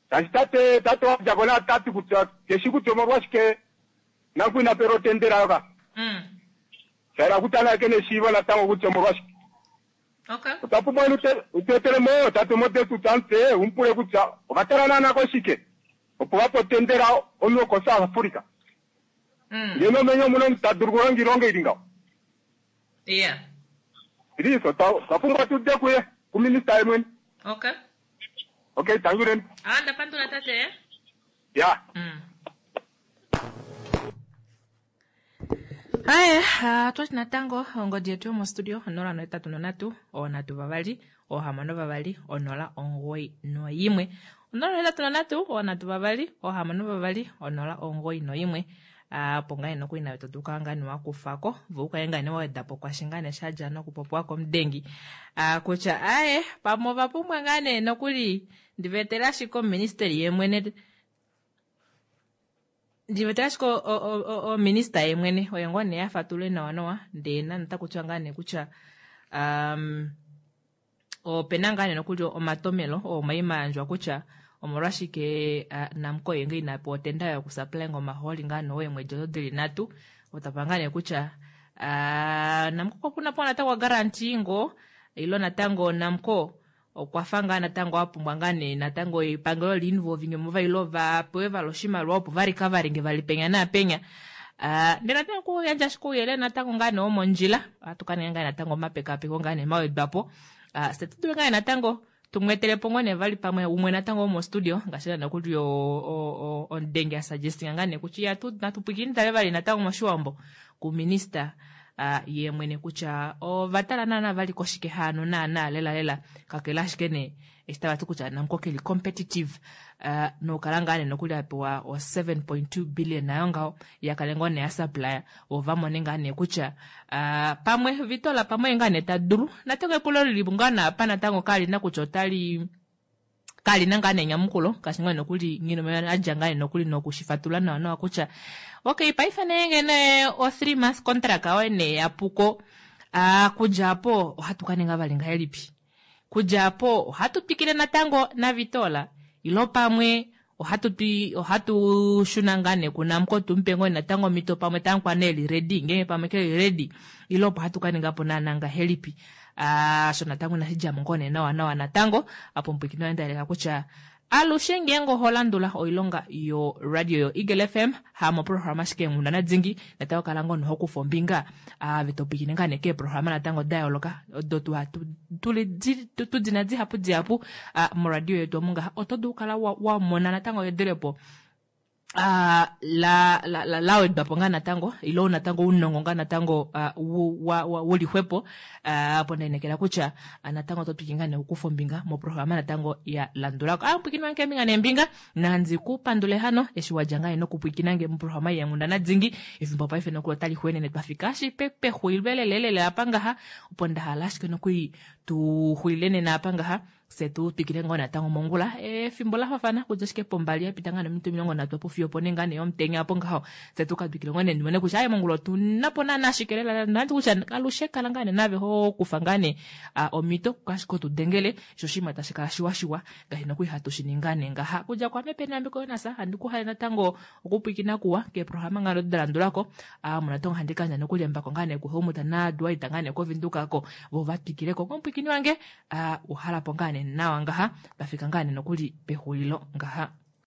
Shaashi tate tate wa dja ko na tati kutya keshi kutya omolwashike Namco ina pelwa otendela yoka. Sha yela kutya naye kena eshiivo natango kutya omolwashike. Okay. Otwa pumbwa inu utu etele mo tate Modestus Amutse u mu pule kutya ova tala naana koshike opo va pe otendela omunhu wokoSouth Africa. Ngeno omenye omu na omunhu ta dulu okulonga oilonga ili ngaho. Yeah. Please, otwa pumbwa tu ude kuye, kuminista ye mwene. Okay. Okay, thank you then. Ah, ndapandula tate. Yeah. Aye, twati natango ongodi yetu yomostudio 083 3 6 2 091 083 3 6 2 091 opo ngaa nokuli nawe to dulu kala ngaa nee wa kufa ko vo u kale ngaa nee wa weda po kwashi ngaa nee sha dja nokupopiwa komudengi kutya aye pamwe ova pumbwa ngaa nee nokuli ndi va etele ashike oministeli yemwene Ndi wete ashike ominista ye mwene oye ngoo nee a fatulule nawa nawa ndee nande otaku tiwa ngaa nee kutya um, opena ngaa nee nokuli omatomelo oo omaima yandjwa kutya omolwashike uh, Namcor ye ngee ina pewa otenda yokusupply ngo omahooli ngaa nee eemwedi odo dili nhatu otapa ngaa nee kutya uh, Namcor okwa puna po natango guarantee ngoo ilo natango Namcor Okwa fa ngaa natango a pumbwa ngaa nee natango epangelo li involvinge mo vali lo va pewe vali oshimaliwa opo va recoveringe vali penya naapenya. Ah, ndele natango okuyandja ashike ouyelele natango ngaa nee womondjila, ohatu ka ninga ngaa natango omapekapeko ngaa nee mawedwa po. Ah, fye tu dule ngaa nee natango tu mu etele po ngoo nee vali pamwe umwe natango womostudio ngaashi naana kuli omudengi a suggestinga ngaa nee kutya iya tu natu pwilikine tale vali natango moshiwambo kuminista ye mwene kutya ova tala naana vali koshike haano naana lela lela kakele ashike nee eshi tava ti kutya Namcor keli competitive uh, nokukala ngaa nee nokuli a pewa o 7.2 billion nayo ngaho ya kale ngoo nee ya supplier vo va mone ngaa nee kutya uh, pamwe Vitola pamwe ngaa nee ta dulu natango epulo lili ngaa naapa natango kali na kutya otali. Kalina ngaa nee enyamukulo ngaashi ngaa nokuli Nghinomona adja ngaa nee nokuli nokushifatulula nawa nawa kutya okay paife nee ngee nee o 3 months contract oyo nee yapuko kudja apo ohatu ka ninga vali ngahelipi? Kudja apo ohatu twikile natango naVitola ilo pamwe ohatu twi ohatu shuna ngaa nee kuNamcor tumupe ngoo natango omhito pamwe tamukwaa nee eli ready ngeenge pamwe keli ready ile opo hatu ka ninga po naana ngahelipi? Aasho natango inashi dja mo ngoo nee nawa nawa natango. Apo omupwilikini wange nda yeleka kutya alushe ngeenge oho landula oilonga yo radio yo Eagle FM ha moprograma ashike eenghundana dingi natango kala ngoo noho kufa ombinga ave to pwilikine ngaa nee keeprograma natango da yooloka odo tu hatu tuli tu dina dihapu dihapu moradio yetu omu ngaha oto dulu kala wa, wa mona natango edelepo la, la, la, la wedwa po ngaa natango ilo natango ounongo ngaa natango wu li xwepo opo ndainekela kutya natango oto twikile ngaa nee okukufa ombinga moprograma natango ya landula ko. Pwikinwa keembinga neembinga nandi ku pandule hano eshi wa dja ngaa nee nokupwikina nge moprograma yeenghundana dingi efimbo paife nokuli otali xweenene twa fika ashike pexulilo lelelele apa ngaha opo nda hala ashike nokuli tu xulile nena apa ngaha. Fye tu twikile ngoo natango mongula efimbo la fafana kudja ashike pombali ya pita ngaa nominute 30 opo fiyo opo nee ngaa nee yomutenya opo ngaho. Fye tu ka twikile ngoo nee ndimone kutya aye mongula otu na po naana shike lela nandi kutya alushe kala ngaa nee nave ho kufa ngaa nee omhito ashike otu dengele sho oshinima tashi kala shiwa shiwa ngaashi nokuli hatu shi ningi ngaa nee ngaha. Kudja kwaame Penny Ambiko Jonas handi ku hale natango okupwiikina kuwa keeprograma ngaa da landulako. Ame natango handi ka yandja nokuli embako ngaa nee kuHelmut naDwight ngaa nee koVenduka ko vo va twikileko komupwiikini wange. A uhala po ngaa nee nawa ngaha, twa fika ngaa nee nokuli pexulilo ngaha.